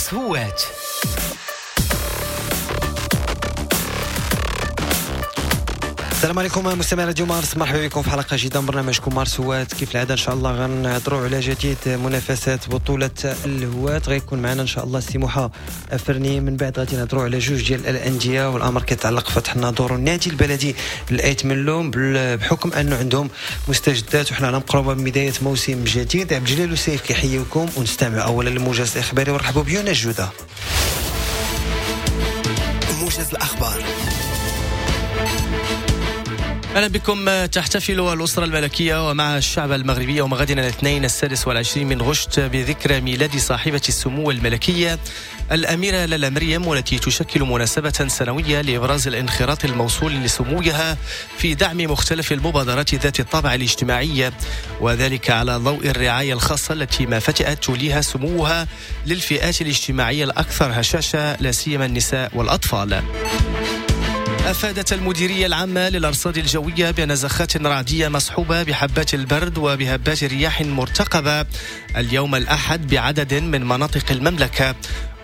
مارس هوات. السلام عليكم مستمعي راديو مارس، مرحبا بكم في حلقة جديدة من برنامجكم مارس هوات. كيف العادة ان شاء الله غنهضروا على جديد منافسات بطوله الهوات. غيكون معنا ان شاء الله سي موحى افرني، من بعد غادي نهضروا على جوج ديال الاندية والامر كيتعلق بفتح الناظور والنادي البلدي لأيت ملوم، بحكم انه عندهم مستجدات وحنا على مقربة من بداية موسم جديد. عبد الجليل وسيف كيحييكم، ونستمع اولا للموجز الاخباري ونرحبوا بيونا جوده. موجز الاخبار. أهلا بكم. تحتفل الأسرة الملكية ومع الشعب المغربي يوم غد الاثنين 26 من غشت بذكرى ميلاد صاحبة السمو الملكية الأميرة لالا مريم، والتي تشكل مناسبة سنوية لإبراز الانخراط الموصول لسموها في دعم مختلف المبادرات ذات الطابع الاجتماعي، وذلك على ضوء الرعاية الخاصة التي ما فتئت توليها سموها للفئات الاجتماعية الأكثر هشاشة، لا سيما النساء والأطفال. أفادت المديرية العامة للأرصاد الجوية بأن زخات رعدية مصحوبة بحبات البرد وبهبات رياح مرتقبة اليوم الأحد بعدد من مناطق المملكة.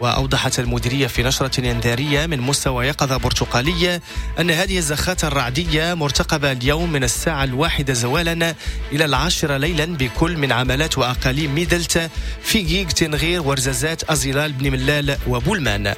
وأوضحت المديرية في نشرة إنذارية من مستوى يقظة برتقالية أن هذه الزخات الرعدية مرتقبة اليوم من الساعة 1 زوالا إلى 10 ليلا بكل من عملات وأقاليم ميدلت، فيكيك، تنغير، ورزازات، أزيلال، بني ملال وبولمان.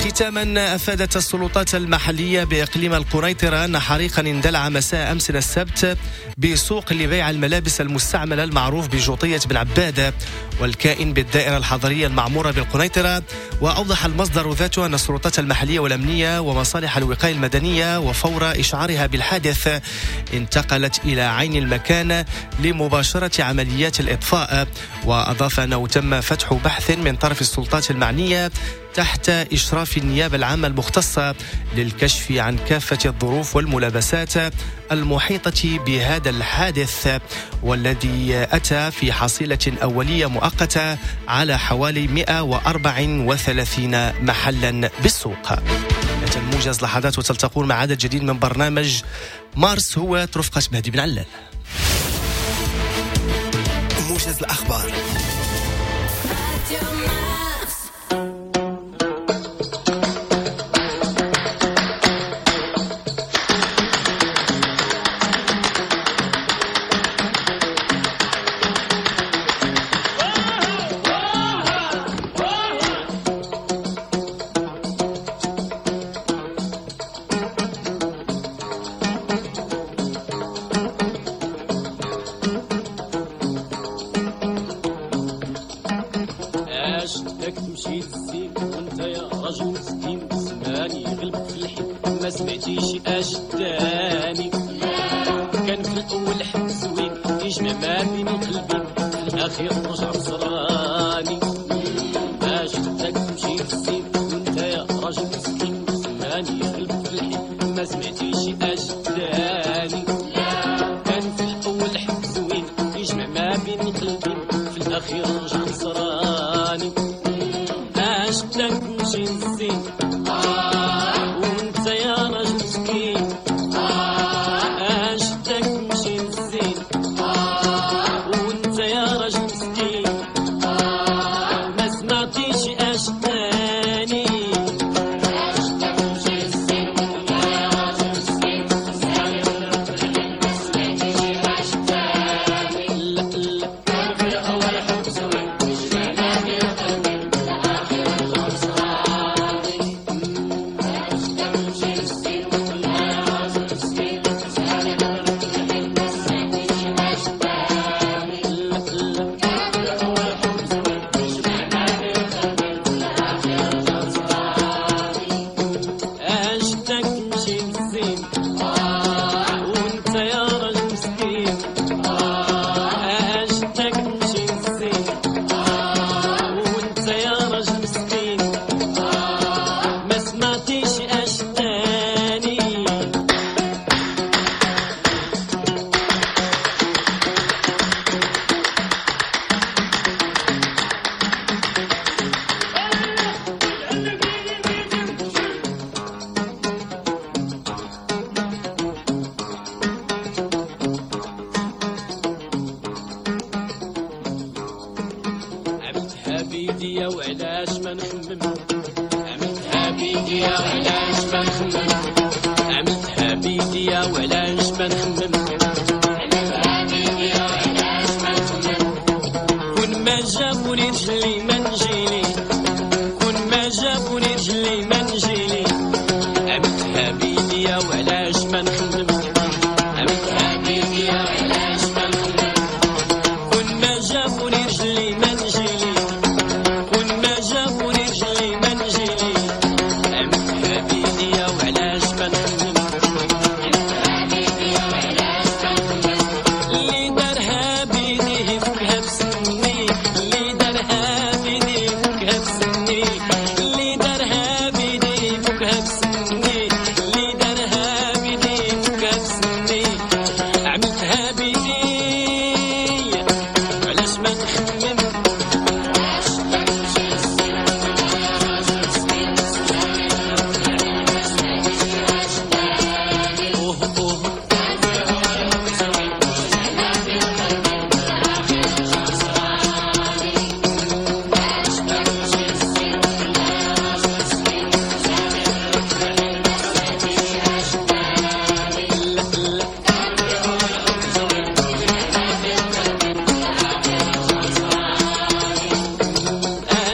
ختاما، أفادت السلطات المحلية بإقليم القنيطرة أن حريقا اندلع مساء أمس السبت بسوق لبيع الملابس المستعملة المعروف بجوطية بن عبادة والكائن بالدائرة الحضرية المعمورة بالقنيطرة. وأوضح المصدر ذاته أن السلطات المحلية والأمنية ومصالح الوقاية المدنية وفور إشعارها بالحادث انتقلت إلى عين المكان لمباشرة عمليات الإطفاء. وأضاف أنه تم فتح بحث من طرف السلطات المعنية تحت إشراف النيابة العامة المختصة للكشف عن كافة الظروف والملابسات المحيطة بهذا الحادث، والذي أتى في حصيلة أولية مؤقتة على حوالي 134 محلا بالسوق. الموجز لحظات وتلتقون مع عدد جديد من برنامج مارس هو رفقة مهدي بن علال. موجز الأخبار. بيديا وعلاش ما نخمم، عملتها بيديا وعلاش ما نخمم، عملتها بيديا وعلاش ما نخمم. كون ما جابوني رجلي ما نجيلي، كون ما جابوني رجلي ما نجيلي، عملتها بيديا وعلاش ما نخمم، عملتها بيديا وعلاش ما نخمم. كون ما جابوني رجلي ما نجيلي، كون ما جابوني رجلي ما نجيلي، عملتها بيديا وعلاش ما نخمم، عملتها بيديا وعلاش ما نخمم. اللي دارها بيديه فكها بسني، اللي دارها بيديه فكها بسني، اللي دارها بيديه فكها بسني، اللي دارها بيديه فكها بسني، عملتها بيدي وعلاش ما نخمم. أوه أوه لا لا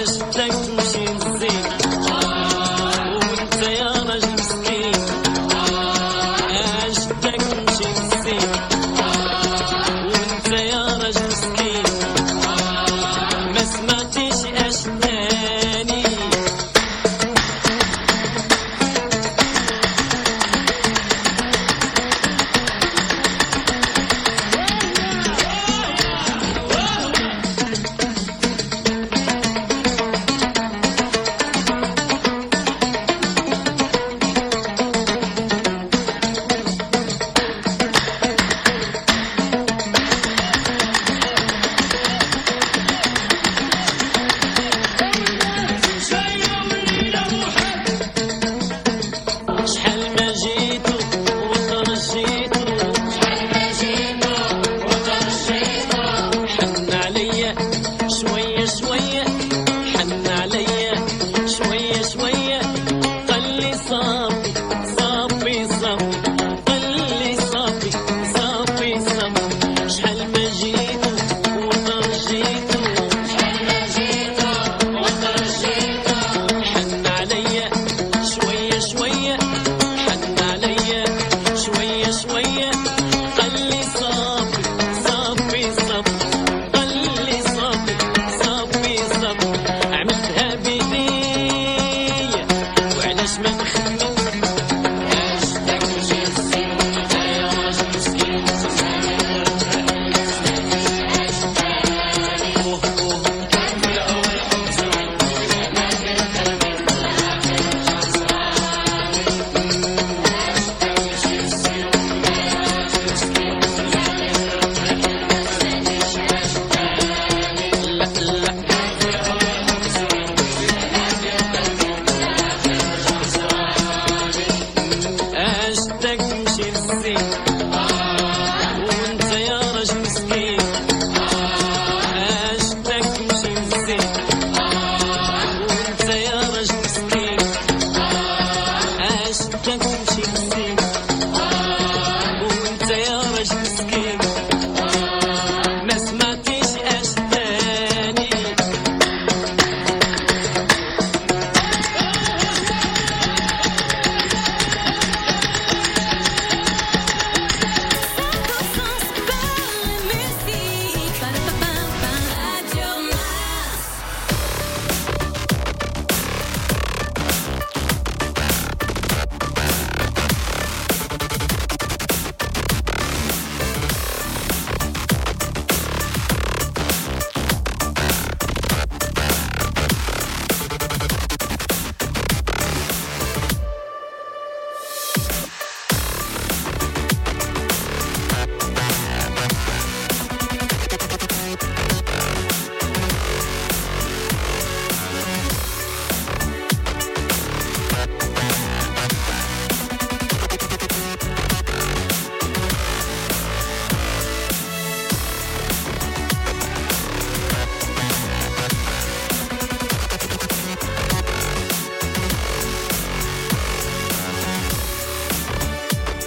أشتك تمشي للزين وانت يا راجل مسكين، أشتك تمشي للزين وانت يا راجل مسكين، ما سمعتيش أشتاني. شحال ما جيتو وترجيتو، شحال ما جيتو وترجيتو، حن عليا شوية شوية، حن عليا شوية شوية، قال لي صافي صافي صافي، قال لي صافي صافي صافي. شحال ما جيتو وترجيتو، شحال ما جيتو وترجيتو، حن عليا شوية شوية، حن عليا شوية شوية، قال لي صافي صافي صافي، قال لي صافي صافي صافي، عملتها بيدي وعلاش ما نخمم. أشتك تمشي للزين وانت يا راجل مسكين، أوه أوه لا لا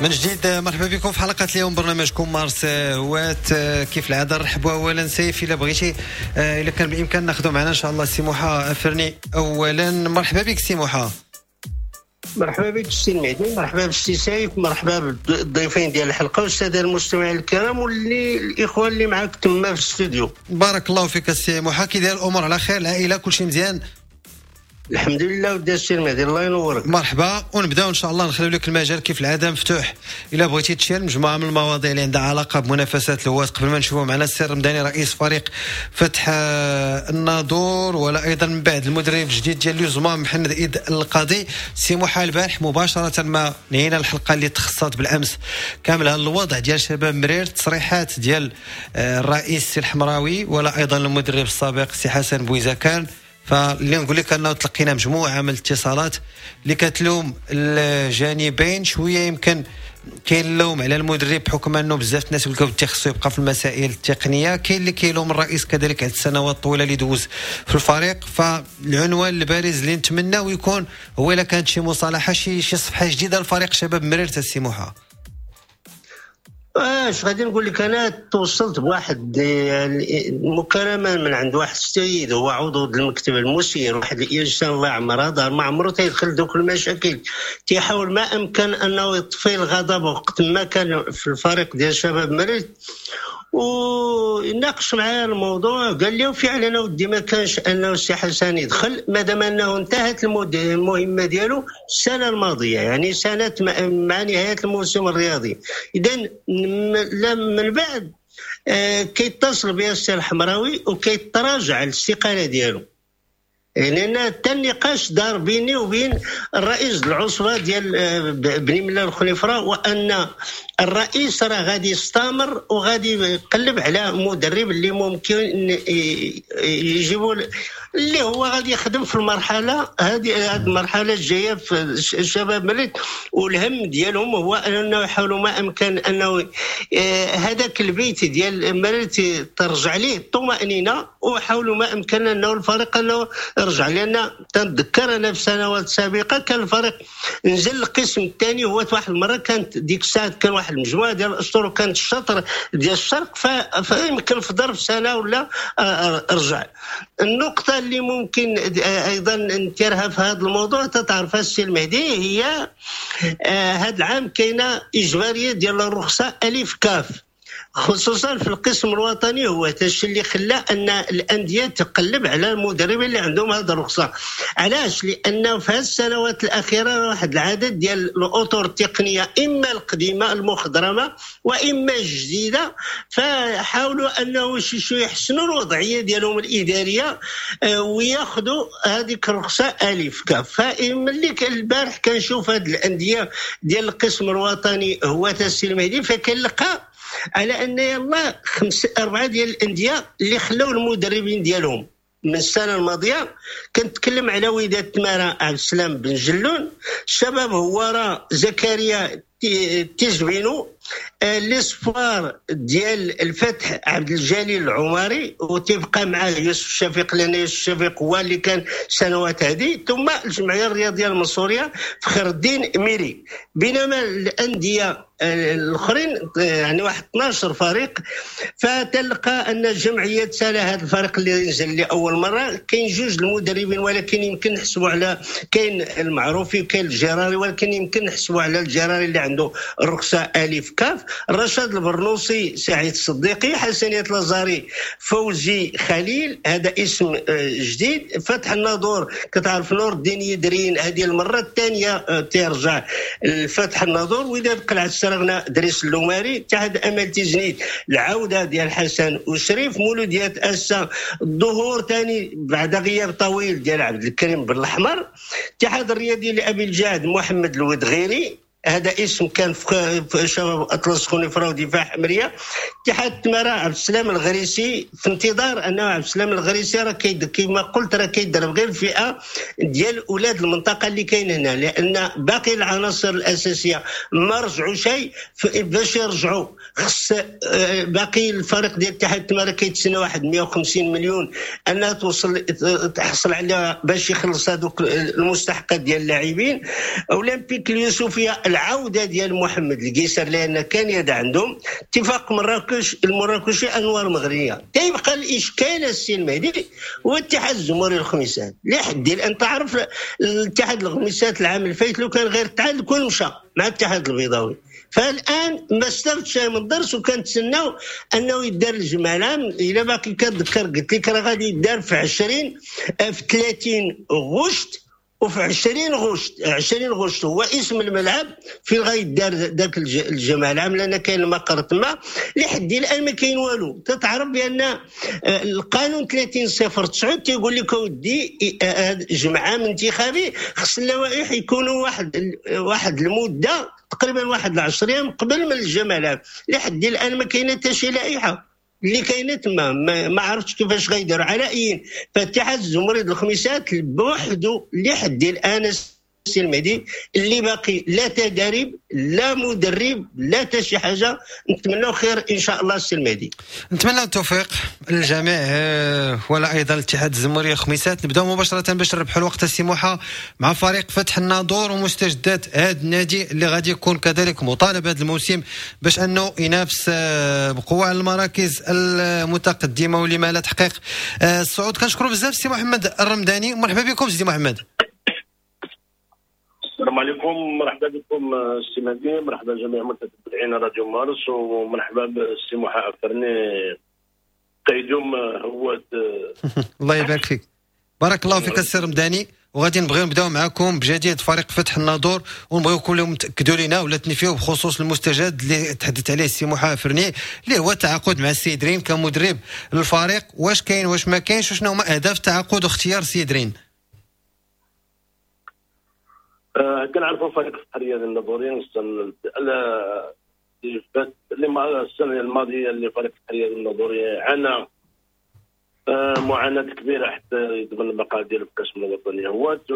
من جديد مرحبا بكم في حلقة اليوم برنامجكم مارس هوات. كيف العادة نرحبوا اولا سيف الا بغيتي، الا كان بالامكان ناخذوا معنا ان شاء الله سي موحى فرني. اولا مرحبا بك سي موحى. مرحبا بك السي المهدي، مرحبا بالسي سيف، مرحبا بالضيفين ديال الحلقة والسادة المستمعين الكرام واللي الاخوان اللي معاك تما في الاستوديو. بارك الله فيك السي موحى، كي داير الامور؟ على خير؟ العائلة كلشي مزيان؟ الحمد لله ودي السي المهدي، الله ينورك. مرحبا، ونبداو ان شاء الله نخليو لك المجال كيف العادة مفتوح الا بغيتي تشير مجموعة من المواضيع اللي عندها علاقة بمنافسات الهواة. قبل ما نشوفوا معنا السي الرمضاني رئيس فريق فتح الناظور، ولا ايضا من بعد المدرب الجديد ديال لوزما محمد عيد القاضي. سي موحى البارح مباشرة ما نهينا الحلقة اللي تخصصت بالامس كاملة الوضع ديال شباب مرير، تصريحات ديال الرئيس سي الحمراوي ولا ايضا المدرب السابق سي حسن بويزكان. فاللي نقول لك انه تلقينا مجموعة من الاتصالات اللي كتلوم الجانبين شوية، يمكن كاين اللوم على المدرب بحكم انه بزاف الناس يقول لك خصو يبقى في المسائل التقنية، كاين اللي كيلوم الرئيس كذلك على السنوات الطويلة اللي دوز في الفريق. فالعنوان البارز اللي نتمناه يكون هو الا كانت شي مصالحه، شي صفحة جديدة لفريق شباب مرير. السي موحى، اش غادي نقول لك، انا توصلت بواحد المكالمة من عند واحد السيد هو عضو المكتب المسير، واحد الانسان الله يعمرها دار، ما عمرو تيدخل دوك المشاكل، تيحاول ما امكن انه يطفي الغضب وقت ما كان في الفريق ديال شباب مرير. وناقش معايا الموضوع، قال لي فعلا ودي ما كانش انه السي حسن يدخل مادام انه انتهت المهمة ديالو السنة الماضية، يعني سنة مع نهاية الموسم الرياضي. اذا من بعد كيتصل بها السي الحمراوي وكيتراجع على الاستقالة ديالو، لان يعني حتى النقاش دار بيني وبين الرئيس العصبة ديال بني ملال الخنيفره، وان الرئيس راه غادي يستمر وغادي يقلب على مدرب اللي ممكن يجيبوا اللي هو غادي يخدم في المرحلة هذه، المرحلة الجاية في الشباب مرير. والهم ديالهم هو انه يحاولوا ما امكن انه هذاك البيت ديال مرير ترجع ليه الطمانينة، وحاولوا ما امكن انه الفريق انه يرجع. لان تنتذكر انا في سنوات سابقه كان الفريق نزل القسم الثاني، هو واحد المرة كانت ديك الساعة كان واحد المجموعة ديال الاسطور وكانت الشطر ديال الشرق، فيمكن في ظرف سنة ولا رجع. النقطة اللي ممكن ايضا نثيرها في هذا الموضوع تتعرفها السي المهدي، هي هذا العام كاينه اجباريه ديال الرخصة الف كاف، خصوصا في القسم الوطني. هو هادشي اللي خلى ان الاندية تقلب على المدربين اللي عندهم هذه الرخصة. علاش؟ لانه في هذه السنوات الاخيرة واحد العدد ديال الاطر التقنية اما القديمة المخضرمه واما الجديدة، فحاولوا انه شي يحسنوا الوضعية ديالهم الادارية وياخذوا هذيك الرخصة الف كاف. فملي البارح كنشوف هذه الاندية ديال القسم الوطني هو السي المهدي، فكنلقى على ان يلا 4 ديال الاندية اللي خلاو المدربين ديالهم من السنة الماضية. كنتكلم على وداد تمارا عبد السلام بن جلون، الشباب هوارة زكريا تيجبينو، l'Espoir ديال الفتح عبد الجليل العمري، وتبقى معاه يوسف الشفيق لان يوسف الشفيق هو اللي كان سنوات هذه، ثم الجمعية الرياضية المنصوريه فخر الدين ميري. بينما الاندية الاخرين يعني واحد 12 فريق، فتلقى ان الجمعية سالا هذا الفريق اللي نزل لاول مرة كاين جوج المدربين، ولكن يمكن نحسبوا على كاين المعروفي وكاين الجراري، ولكن يمكن نحسبوا على الجراري اللي عنده الرخصة الف كاف. رشاد البرنوصي، سعيد الصديقي، حسنية لازاري، فوزي خليل، هذا اسم جديد. فتح الناظور كتعرف نور الدين يدرين، هذه المرة الثانية ترجع الفتح الناظور. وداد قلعه السرغنه دريس اللوماري، اتحاد امل تيزنيت العودة ديال حسن وشريف، مولوديات اسا الظهور ثاني بعد غياب طويل ديال عبد الكريم بن الاحمر، اتحاد الرياضي لابي الجاد محمد الودغيري، هذا اسم كان في شباب اطلس خنيفره ودفاع حمريه. اتحاد تمارا عبد السلام الغريسي، في انتظار انه عبد السلام الغريسي راه كما قلت راه كيدرب غير الفئة ديال اولاد المنطقة اللي كاين هنا، لان باقي العناصر الاساسية ما رجعوا شيء. باش يرجعوا خص باقي الفريق ديال اتحاد تمارا كيتسنى واحد 150 مليون انها توصل تحصل عليها باش يخلص هذوك المستحقات ديال اللاعبين. اولمبيك اليوسفيه العودة ديال محمد القيسر لان كان يد عندهم اتفاق مراكش المراكشي انوار مغرية. تيبقى الاشكال السي المهدي هو اتحاد الزموري الخميسات لحد الان. تعرف الاتحاد الخميسات العام الفايت لو كان غير تعادل كون مشى مع الاتحاد البيضاوي، فالان ما استفدش من الدرس وكنتسناو انه يدار الجمع العام. الا باقي كتذكر قلت لك راه غادي يدار في 20 في 30 غشت وفي 20 غشت. 20 غشت هو اسم الملعب فين غيدار ذاك الجمع العام، لان كاين المقر تما. لحد الان ما كاين والو. تتعرف بان القانون 30.09 تيقول لك اودي جمع عام انتخابي خص اللوائح يكونوا واحد المدة تقريبا واحد 10 ايام قبل من الجمع العام. لحد الان ما كاينه حتى شي لائحة اللي كاينه تما، ما عرفتش كيفاش غيديروا. على اي فاتحاد الزمري الخميسات بوحدو لحد الان السي المهدي اللي باقي لا تدريب لا مدرب لا حتى شي حاجة. نتمناو خير ان شاء الله السي المهدي، نتمنى التوفيق للجميع ولا ايضا الاتحاد الزموري الخميسات. نبداو مباشرة باش نربحوا الوقت السي موحى مع فريق فتح الناظور ومستجدات هذا النادي اللي غادي يكون كذلك مطالب هذا الموسم باش انه ينافس بقوة على المراكز المتقدمة ولما لا تحقيق الصعود. كنشكروا بزاف السي محمد الرمداني، مرحبا بكم سيدي محمد. السلام عليكم، مرحبا بكم السي مهدي، مرحبا جميع متتبعين راديو مارس، ومرحبا بالسي موحى أفرني قيدوم هو. الله يبارك فيك، بارك الله فيك السي رمداني. وغادي نبغيو نبداو معكم بجديد فريق فتح الناظور، ونبغيو كلهم تاكدوا لنا ولا تنفيو بخصوص المستجد اللي تحدث عليه السي موحى أفرني اللي هو التعاقد مع السيد رين كمدرب للفريق. واش كاين واش ما كاينش، وشنو هما اهداف التعاقد واختيار السيد رين؟ كنعرفوا فريق الحرية الناظوري السنة الماضية اللي فريق الحرية الناظوري عانى معاناة كبيرة حتى يضمن البقاء ديالو في القسم الوطني هوات،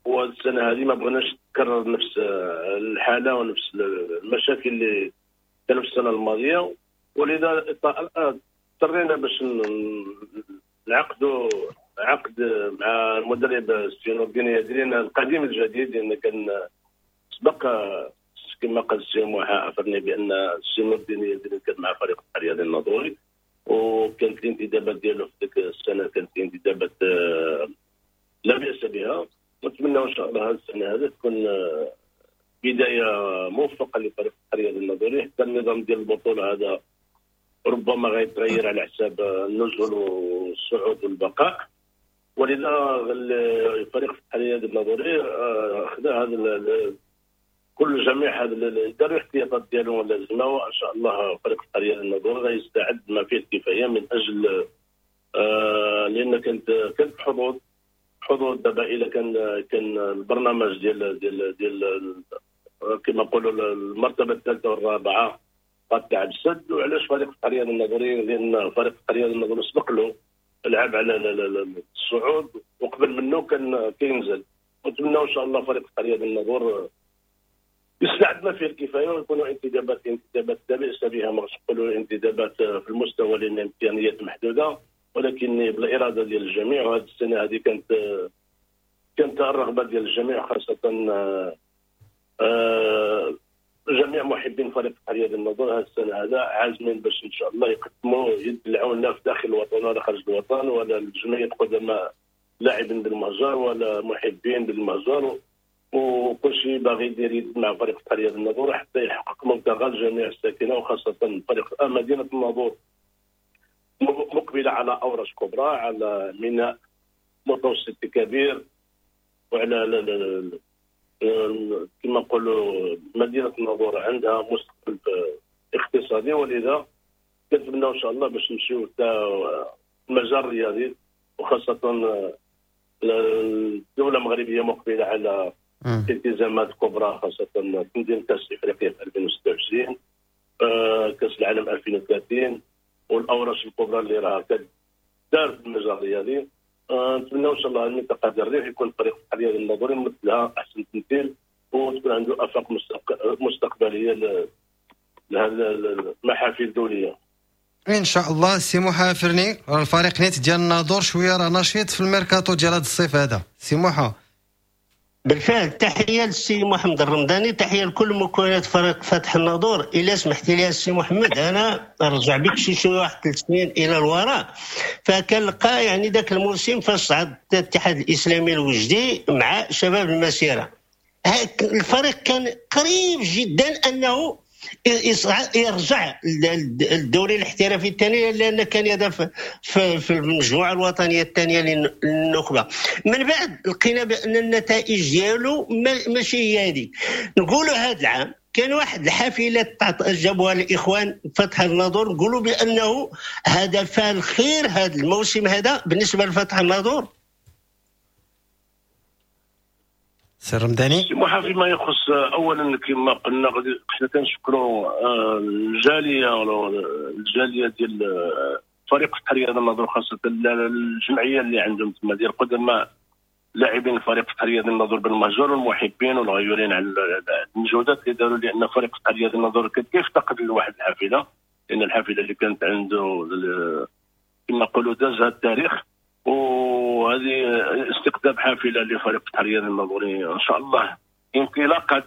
والسنة هذه ما بغيناش تكرر نفس الحالة ونفس المشاكل اللي كانوا في السنة الماضية، ولذا اضطرينا باش نعقدوا عقد مع المدرب السي نور الدين يدرين القديم الجديد، لان كان سبق كما قال السي موحى أفرني بان السي نور الدين يدرين كان مع فريق الرياضي الناظوري، وكانت الانتدابات ديالو في ديك السنة كانت انتدابات لا باس بها. ونتمنى ان شاء الله هذه السنة هذه تكون بداية موفقة لفريق الرياضي الناظوري، حتى النظام ديال البطولة هذا ربما غيتغير على حساب النزول والصعود والبقاء، ولذا الفريق الرياضي الناظوري خذا هذا كل جميع هذا دار الاحتياطات ديالو اللازمة، وان شاء الله فريق الرياضي الناظوري غيستعد ما فيه الكفاية من اجل لان كانت حظوظ دابا الى كان البرنامج ديال ديال ديال كما نقولوا المرتبة الثالثة والرابعة قد السد. وعلاش فريق الرياضي الناظوري؟ لان فريق الرياضي الناظوري سبق له لعب على الصعود وقبل منه كان كينزل، ونتمنى ان شاء الله فريق الرياضي الناظور يستعد ما فيه الكفاية ويكونوا انتدابات لا باس بها، ما نقولوا انتدابات في المستوى لان الامكانيات محدودة، ولكن بالارادة ديال الجميع. وهذه السنة هذه كانت الرغبة ديال الجميع، خاصة جميع محبين فريق الرياضي الناظور هذه السنة هذا عازمين باش ان شاء الله يقدموا يد العون لا في داخل الوطن ولا خارج الوطن، ولا الجمعية قدماء لاعبين بالمهجر ولا محبين بالمهجر، وكل شيء باغي يدير يد مع فريق الرياضي الناظور حتى يحقق مبتغى جميع الساكنة، وخاصة فريق مدينة الناظور مقبله على اورش كبرى، على ميناء متوسط كبير، وعلى كما نقولوا مدينة الناظور عندها مستقبل اقتصادي، ولذا كنتمناو ان شاء الله باش نمشيو حتى المجال الرياضي، وخاصة الدولة المغربية مقبله على التزامات كبرى، خاصة تنظيم كاس افريقيا في 2026، كاس العالم 2030، والاوراش الكبرى اللي راه كدار في المجال الرياضي. نتمنى ان شاء الله المنطقة ديال الريف يكون فريق الرياضي الناظوري مثلها احسن تمثيل، وتكون عنده افاق مستقبلية لهذه المحافل الدولية ان شاء الله. سي موحى فرني، الفريق نيت ديال الناظور شوية راه نشيط في الميركاتو ديال هذا الصيف هذا. سي موحى بالفعل تحية للسي محمد الرمضاني، تحية لكل مكونات فريق فتح الناظور. الا سمحتي لي السي محمد انا نرجع بك شي واحد 3 سنين الى الوراء، فكنلقى يعني ذاك الموسم فاش صعد الاتحاد الاسلامي الوجدي مع شباب المسيرة، الفريق كان قريب جدا انه يرجع للدوري الاحترافي الثاني، لان كان يدافع في المجموعة الوطنية الثانية للنخبه. من بعد لقينا بان النتائج ديالو ماشي هي هذيك. نقولوا هذا العام كان واحد الحافلة جابوها الاخوان فتح الناظور، نقولوا بانه هذا فال خير هذا الموسم هذا بالنسبة لفتح الناظور. سي رمضاني، فيما يخص اولا كما قلنا غادي حنا كنشكروا الجالية ديال فريق فتح رياض الناظور، خاصة الجمعية اللي عندهم تما ديال قدماء لاعبين فريق فتح رياض الناظور بالمهجر والمحبين والغيورين على المجهودات اللي داروا، لان فريق فتح رياض الناظور كان كيفتقد لواحد الحافلة، لان الحافلة اللي كانت عنده كما نقولوا دازها التاريخ، وهذه استقطاب حافلة لفريق فتح رياض الناظوري ان شاء الله انطلاقة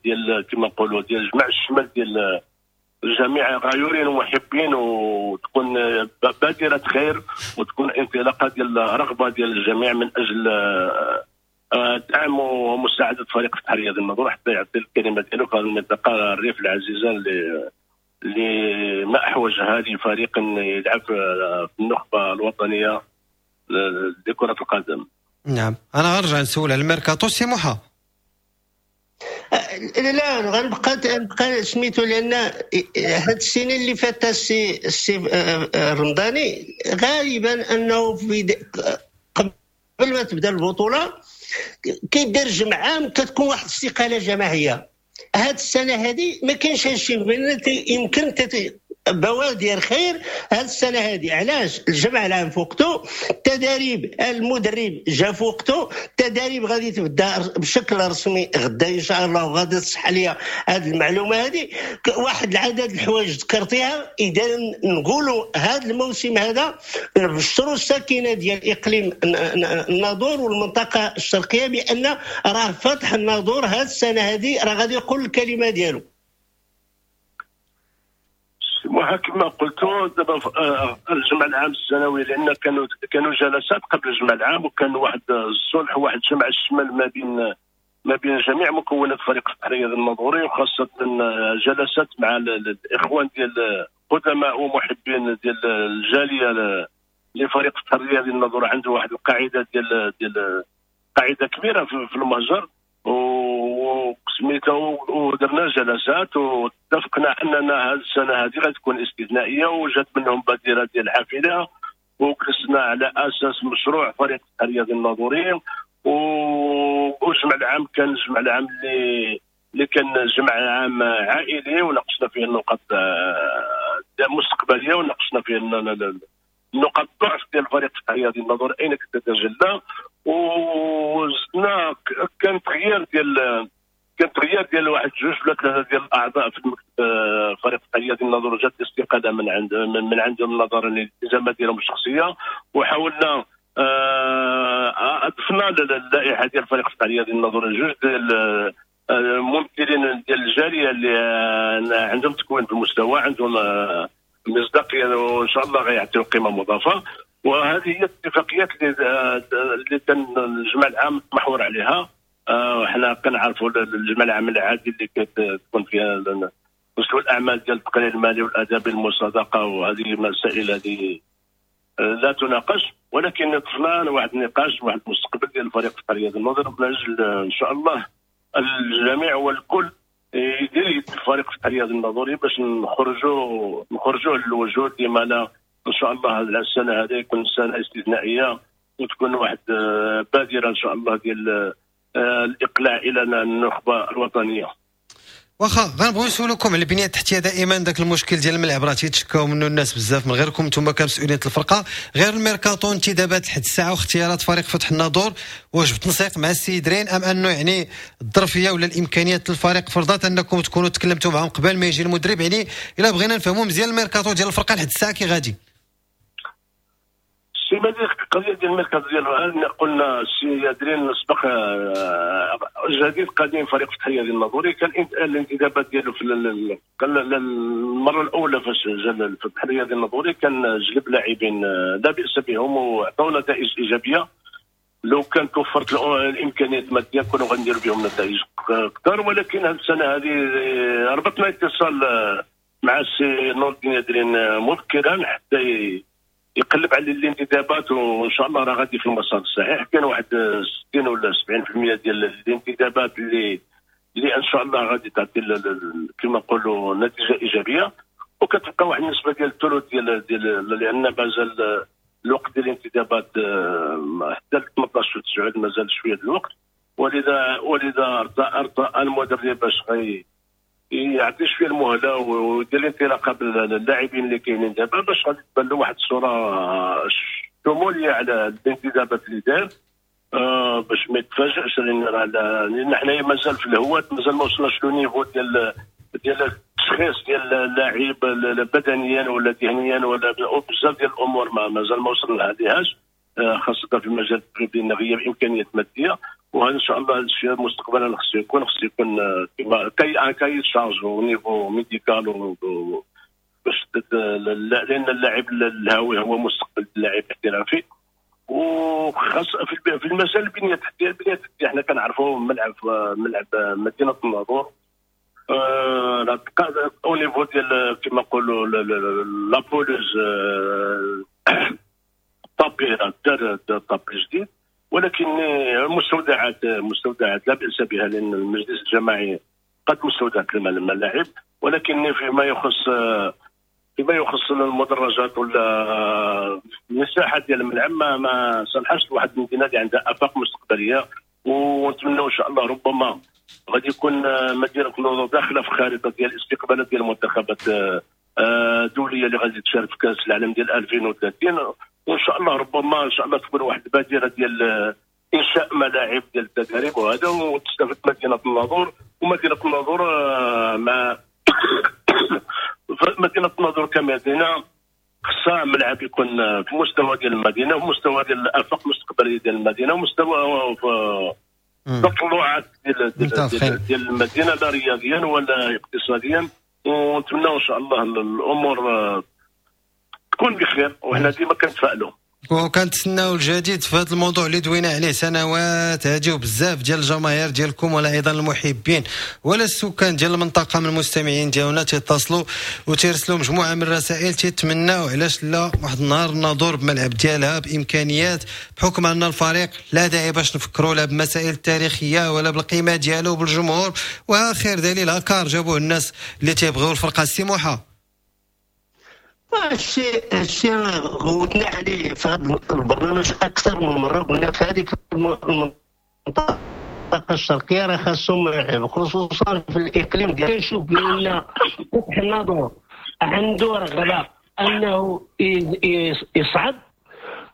ديال كما نقولوا ديال جمع الشمال ديال الجميع غيورين ومحبين، وتكون بادره خير وتكون انطلاقة ديال رغبة ديال الجميع من اجل دعم ومساعدة فريق فتح رياض الناظور حتى يعطي الكلمة ديالو في هذه المنطقة الريف العزيزة اللي ما احوجها لفريق يلعب في النخبة الوطنية لكرة القدم. نعم، أنا غنرجع نسول على الميركاتو سي موحى. لا غنبقى سميتو، لأن هاد السنين اللي فاتت السي الرمضاني غالبا أنه قبل ما تبدا البطولة كيدير جمع عام كتكون واحد الاستقالة جماعية. هاد السنة هذه ما كاينش هادشي، يمكن بوادر خير هذه السنة هذه. علاش؟ الجمع العام في وقته، التدريب المدرب جا في وقته، التدريب غادي تبدا بشكل رسمي غدا ان شاء الله، وغادي تصح لي هذه المعلومة هذه. واحد العدد الحوايج ذكرتيها، اذا نقولوا هذا الموسم هذا نبشروا الساكنة ديال اقليم الناظور والمنطقة الشرقية بان راه فتح الناظور هذه السنة هذه راه غادي يقول الكلمة ديالو. كما قلت دابا الجمع العام السنوي، لان كانوا جلسات قبل الجمع العام، وكان واحد الصلح وواحد جمع الشمال ما بين جميع مكونات فريق فتح رياض الناظوري، وخاصة جلسات مع الاخوان ديال قدماء ومحبين ديال الجالية لفريق فتح رياض الناظور. عنده واحد القاعدة ديال قاعدة كبيرة في المهجر وسميتو، ودرنا جلسات واتفقنا اننا هذه السنة هذه غتكون استثنائية، وجات منهم بادره ديال الحافلة، وجلسنا على اساس مشروع فريق الرياضي الناظوري. والجمع العام كان الجمع العام اللي كان جمع عام عائلي، وناقشنا فيه النقاط المستقبلية، وناقشنا فيه نقاط الضعف ديال الفريق الرياضي الناظور اين كتتجلى، وزدنا كان تغيير ديال واحد جوج ولا ثلاثة ديال الاعضاء في المكتب فريق الرياضي الناظور، جات الاستقالة من عندهم نظرا للالتزامات ديالهم الشخصية، وحاولنا اضفنا للائحه ديال فريق الرياضي الناظور جوج ديال الممثلين ديال الجالية اللي عندهم تكوين في المستوى، عندهم مصداقية، وان شاء الله غيعطيو قيمة مضافة. وهذه هي الاتفاقيات اللي كان الجمع العام محور عليها. حنا كنعرفوا الجمع العام العادي اللي كتكون فيها مستوى الاعمال ديال التقرير المالي والادبي المصادقة، وهذه المسائل هذه لا تناقش، ولكن طفنا واحد النقاش واحد المستقبل ديال الفريق الرياضي الناظور من اجل ان شاء الله الجميع والكل يدير الفريق الرياضي الناظوري باش نخرجوا للوجود. لما لا ان شاء الله السنة هذه يكون سنة استثنائية وتكون واحد بادره ان شاء الله ديال الاقلاع الى النخبة الوطنية. واخا غنبغيو نسولكم على البنية التحتية، دائما ذاك المشكل ديال الملعب راه تيتشكاو منه الناس بزاف من غيركم نتوما كمسؤولين الفرقة، غير الميركاتو انتدابات لحد الساعة واختيارات فريق فتح الناظور، واش بالتنسيق مع السيد رين ام انه يعني الظرفية ولا الامكانيات الفريق فرضات انكم تكونوا تكلمتوا معهم قبل ما يجي المدرب؟ يعني الا بغينا نفهموا مزيان الميركاتو ديال الفرقة لحد الساعة كي غادي. سي مهدي، القضية ديال المركز ديال قلنا السي يادرين سبق جديد قديم فريق فتح الرياضي الناظوري، كان الانتدابات ديالو في المرة الاولى فاش جا فتح الرياضي الناظوري كان جلب لاعبين لا باس بهم وعطاو نتائج ايجابية. لو كان توفرت الامكانيات المادية كنا غنديروا بهم نتائج اكثر، ولكن هذه السنة هذه ربطنا اتصال مع السي نور الدين يادرين مبكرا حتى يقلب على الانتدابات، وان شاء الله راه غادي في المسار الصحيح. كاين واحد 60 ولا 70% ديال الانتدابات اللي ان شاء الله غادي تعطي كما نقولوا نتيجة ايجابية، وكتبقى واحد النسبة ديال الثلث ديال لان مازال الوقت ديال الانتدابات حتى 18 9 مازال شوية ديال الوقت. ولذا ارتأى المدرب باش يعطي شوية المهلة ويدير الانطلاقة باللاعبين اللي كاينين دابا باش غادي تبان له واحد الصورة شمولية على الانتدابات اللي دار، باش ما يتفاجئش، لان حنايا مازال في الهواة، مازال ما وصلناش le niveau ديال التشخيص ديال اللاعب بدنيا ولا ذهنيا ولا بزاف ديال الامور مازال ما وصلنا لهاش، خاصة في المجال التدريبي لان غياب امكانيات مادية. وهذا ان شاء الله هذا الشيء مستقبلا خصو يكون كما un cahier des charges au niveau médical، باش لان اللاعب الهاوي هو مستقبل اللاعب الاحترافي. وخاص في المجال البنية التحتية، حنا كنعرفوا ملعب مدينة الناظور au niveau ديال كما نقولوا la pelouse tapis دار tapis جديد، ولكن مستودعات لا بأس بها لان المجلس الجماعي قد مستودعات الملاعب، ولكن فيما يخص المدرجات ولا المساحة ديال الملعب ما صلحش لواحد المدينة اللي عندها افاق مستقبلية. ونتمنوا ان شاء الله ربما غادي يكون مدينة الناظور داخله في خارطة ديال الاستقبالات ديال المنتخبات الدولية اللي غادي تشارك في كاس العالم ديال 2030، وان شاء الله ربما ان شاء الله تكون واحد البادرة ديال انشاء ملاعب ديال التدريب وهذا، وتستفد مدينة الناظور. ومدينة الناظور مع مدينة الناظور كمدينه خصها ملعب يكون في مستوى ديال المدينة، وفي مستوى ديال الافاق المستقبلية ديال المدينة، ومستوى التطلعات ديال المدينة لا رياضيا ولا اقتصاديا. ونتمنى ان شاء الله الامور تكون بخير، وحنا ديما كنتفائلوا وكنتسناو الجديد في هذا الموضوع اللي دوينا عليه سنوات هادي، وبزاف ديال الجماهير ديالكم ولا ايضا المحبين ولا السكان ديال المنطقة من المستمعين ديالنا تيتصلوا وتيرسلوا مجموعة من الرسائل تيتمناو علاش لا واحد النهار الناظور بملعب ديالها بامكانيات، بحكم ان الفريق لا داعي باش نفكروا لا بمسائل تاريخية ولا بالقيمة ديالو بالجمهور، واخر دليل هكار جابوه الناس اللي تيبغيو الفرقة. السموحه الشيء غوتنا عليه في هذا البرنامج اكثر من مرة، قلنا في هذيك المنطقة الشرقية راه خاصهم ملاعب، خصوصا في الاقليم ديال كنشوف بان فتح الناظور عنده رغبة انه يصعد.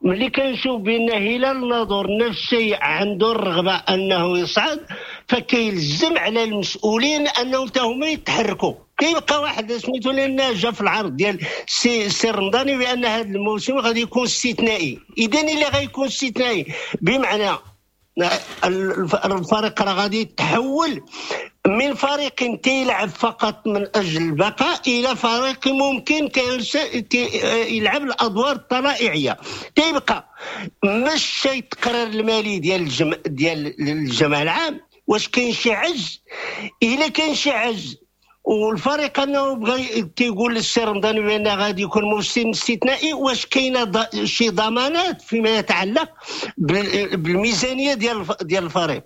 ملي كنشوف بان هلال الناظور نفس الشيء عنده الرغبة انه يصعد، فكيلزم على المسؤولين انهم حتى هما يتحركوا. كيبقى واحد سميتو لان جا في العرض ديال سي رمضاني بان هذا الموسم غادي يكون استثنائي. اذا اللي غيكون استثنائي بمعنى الفريق راه غادي يتحول من فريق تيلعب فقط من اجل البقاء الى فريق ممكن يلعب الادوار الطلائعيه. تيبقى مش التقرير المالي ديال الجمع العام، واش كاين شي عجز؟ الا كاين شي عجز والفريق انه بغى تيقول للسي رمضان بان غادي يكون موسم استثنائي، واش كاينه شي ضمانات فيما يتعلق بالميزانيه ديال الفريق؟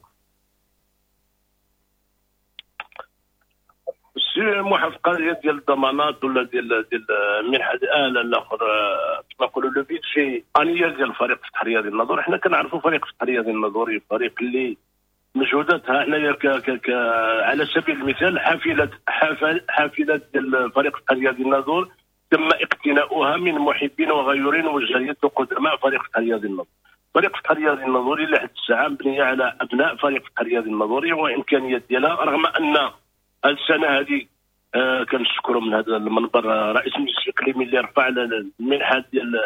السي محافظ ديال الضمانات ولا ديال المنحة الاخر كما نقولوا le budget annuel ديال الفريق فتح الرياضي الناظور. حنا كنعرفوا فريق فتح الرياضي الناظوري فريق اللي مجهوداتها حنايا على سبيل المثال حافلات ديال فريق فتح الرياضي الناظور تم اقتناؤها من محبين وغيورين وجاليات وقدماء فريق فتح الرياضي الناظور. فريق فتح الرياضي الناظوري لحد الساعة مبنية على ابناء فريق فتح الرياضي الناظوري وامكانيات ديالها، رغم ان هذه السنة هذه كنشكروا من هذا المنبر رئيس المجلس الاقليمي اللي رفع المنحة ديال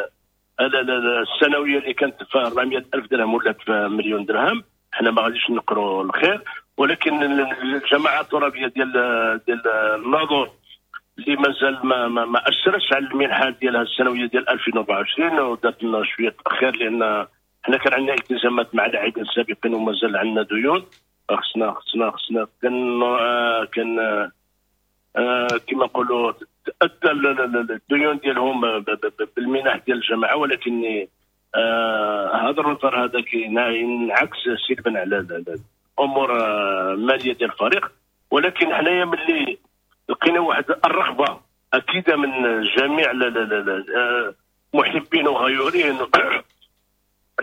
السنوية اللي كانت في 400 الف درهم ولات في مليون درهم. حنا ما غاديش نقروا الخير، ولكن الجماعة الترابيه ديال الناظور اللي مازال ما اثرتش على المنحة ديالها السنوية ديال 2024 ودارت لنا شوية تاخير، لان حنا كان عندنا التزامات مع اللاعبين السابقين ومازال عندنا ديون. خصنا كان كما نقولوا تأدى الديون ديالهم بالمنح ديال الجماعة، ولكن هذا ال retard هذا كينعكس سلبا على الامور المالية ديال الفريق. ولكن حنايا ملي لقينا واحد الرغبة اكيدة من جميع محبين وغيورين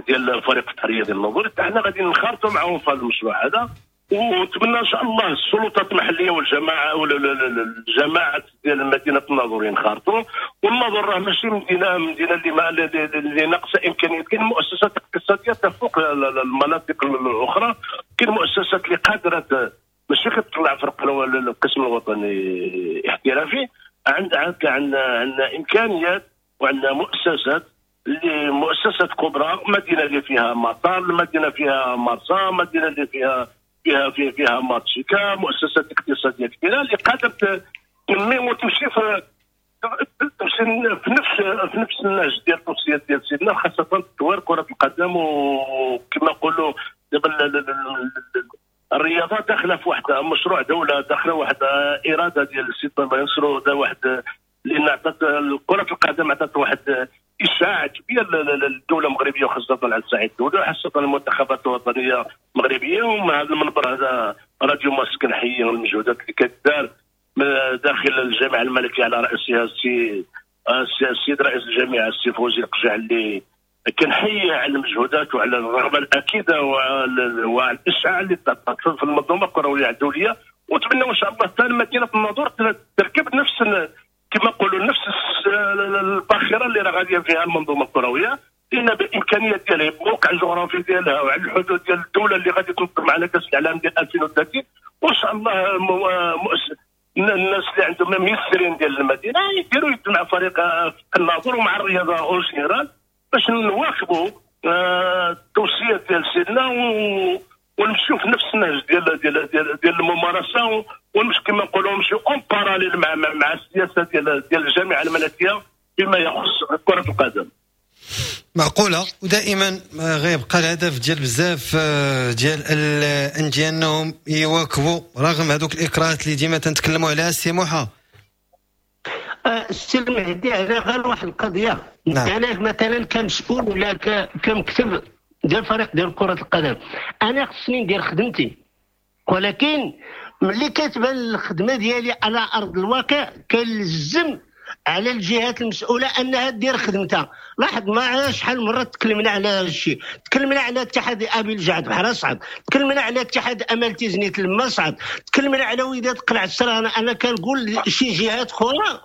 ديال الفريق التحريه ديال الناظور، حنا غادي نخرطوا معاهم في هذا المشروع هذا، ونتمنى ان شاء الله السلطات المحلية والجماعة والجماعات ديال مدينة الناظور ينخرطوا. والناظور راه ماشي مدينة اللي ناقصه امكانيات، كاين مؤسسات اقتصادية تفوق المناطق الاخرى، كاين مؤسسات اللي قادرة ماشي كتطلع فرق القسم الوطني احترافي، عندنا امكانيات وعندنا مؤسسات اللي مؤسسات كبرى، مدينة اللي فيها مطار، مدينة فيها مرسى، مدينة اللي فيها فيها فيها, فيها مارتشيكا، مؤسسات اقتصادية كبيرة اللي قادرة تنمي وتمشي في نفس النهج ديال التوصيات ديال سيدنا، خاصة تطوير كره القدم. وكما نقولوا دابا الرياضة داخله في واحد مشروع دولة، داخله واحد اراده ديال السيد الله ينصرو، واحد لان عطات كره القدم عطات واحد اشعاع كبير للدولة المغربية، وخاصة على الصعيد الدولي، وخاصة المنتخبات الوطنية المغربية. ومن هذا المنبر هذا راديو مارس كنحيي المجهودات اللي كدار من داخل الجامعة الملكية على راسها السيد رئيس الجامعة السي فوزي القجع، اللي كنحيي على المجهودات وعلى الرغبة الاكيده وعلى الاشعاع اللي تعطات في المنظومة الكروية الدولية. ونتمنى ان شاء الله حتى مدينة الناظور تركب نفس كما نقولوا نفس الباخرة اللي راه غادية فيها المنظومة الكروية، لان بالامكانيات ديالها، بالموقع الجغرافي ديالها، وعلى الحدود ديال الدولة اللي غادي تنظم معنا كاس العالم ديال 2030. وان شاء الله الناس اللي عندهم ميسرين ديال المدينة يديروا يد مع فريق الناظور ومع الرياضة en général باش نواكبوا التوصيات ديال سيدنا ونمشيو في نفس النهج ديال ديال ديال, ديال الممارسة، ونمشي كما نقولوا نمشيو en parallèle مع السياسة ديال الجامعة الملكية فيما يخص كره القدم. معقولة. ودائما غيبقى الهدف ديال بزاف ديال الاندية انهم يواكبوا رغم هذوك الاكراهات اللي ديما تنتكلموا عليها. سي موحى السي المهدي، على غير واحد القضية. نعم. انا مثلا كمسؤول ولا كمكتب ديال فريق ديال كره القدم، انا خصني ندير خدمتي، ولكن ملي كتبان الخدمة ديالي على ارض الواقع كنلزم على الجهات المسؤولة انها دير خدمتها. لاحظ معايا شحال مرة تكلمنا على هذا الشيء، تكلمنا على اتحاد ابي الجعد بحال صعد، تكلمنا على اتحاد امل تيزنيت لما صعد، تكلمنا على وداد قلعه السرانه. انا كنقول شي جهات اخرى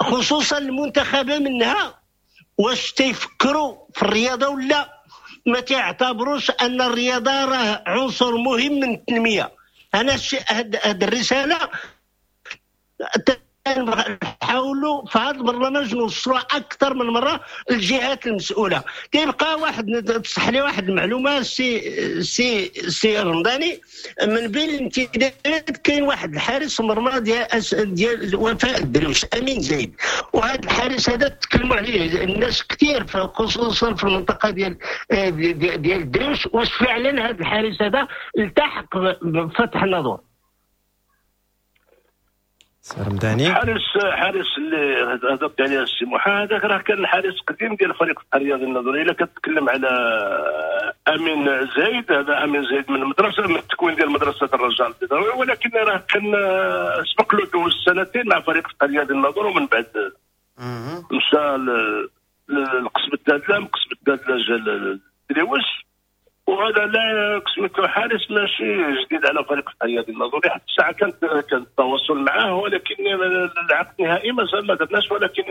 خصوصا المنتخبه منها، واش تيفكروا في الرياضة ولا ما تعتبروش ان الرياضة راه عنصر مهم من التنمية؟ انا هاد الرسالة نحاولوا في هذا البرنامج نوصلوها اكثر من مرة للجهات المسؤولة. كيبقى واحد تصح لي واحد المعلومة سي سي سي رمضاني، من بين الانتدابات كاين واحد الحارس مرمى ديال وفاء الدرويش امين زايد، وهذا الحارس هذا تكلموا عليه الناس كثير خصوصا في المنطقة ديال ديال الدرويش. واش فعلا هذا الحارس هذا التحق بفتح الناظور؟ رمضاني حارس اللي هضرت عليه السي موحى، هذاك راه كان حارس قديم ديال فريق الرياضي الناظوري. الا كتكلم على امين زايد، هذا امين زايد من المدرسة، من التكوين ديال مدرسه الرجاء البيضاوي، ولكن راه كان سبق له دوز سنتين مع فريق الرياضي الناظور، ومن بعد مشى لقصب الدادله، من قصب الدادله جا للدريوش. وهذا لا سميتو حارس ماشي جديد على فريق الرياضي الناظوري، حتى الساعة كان التواصل معاه، ولكن العقد النهائي مازال ما درناش. ولكن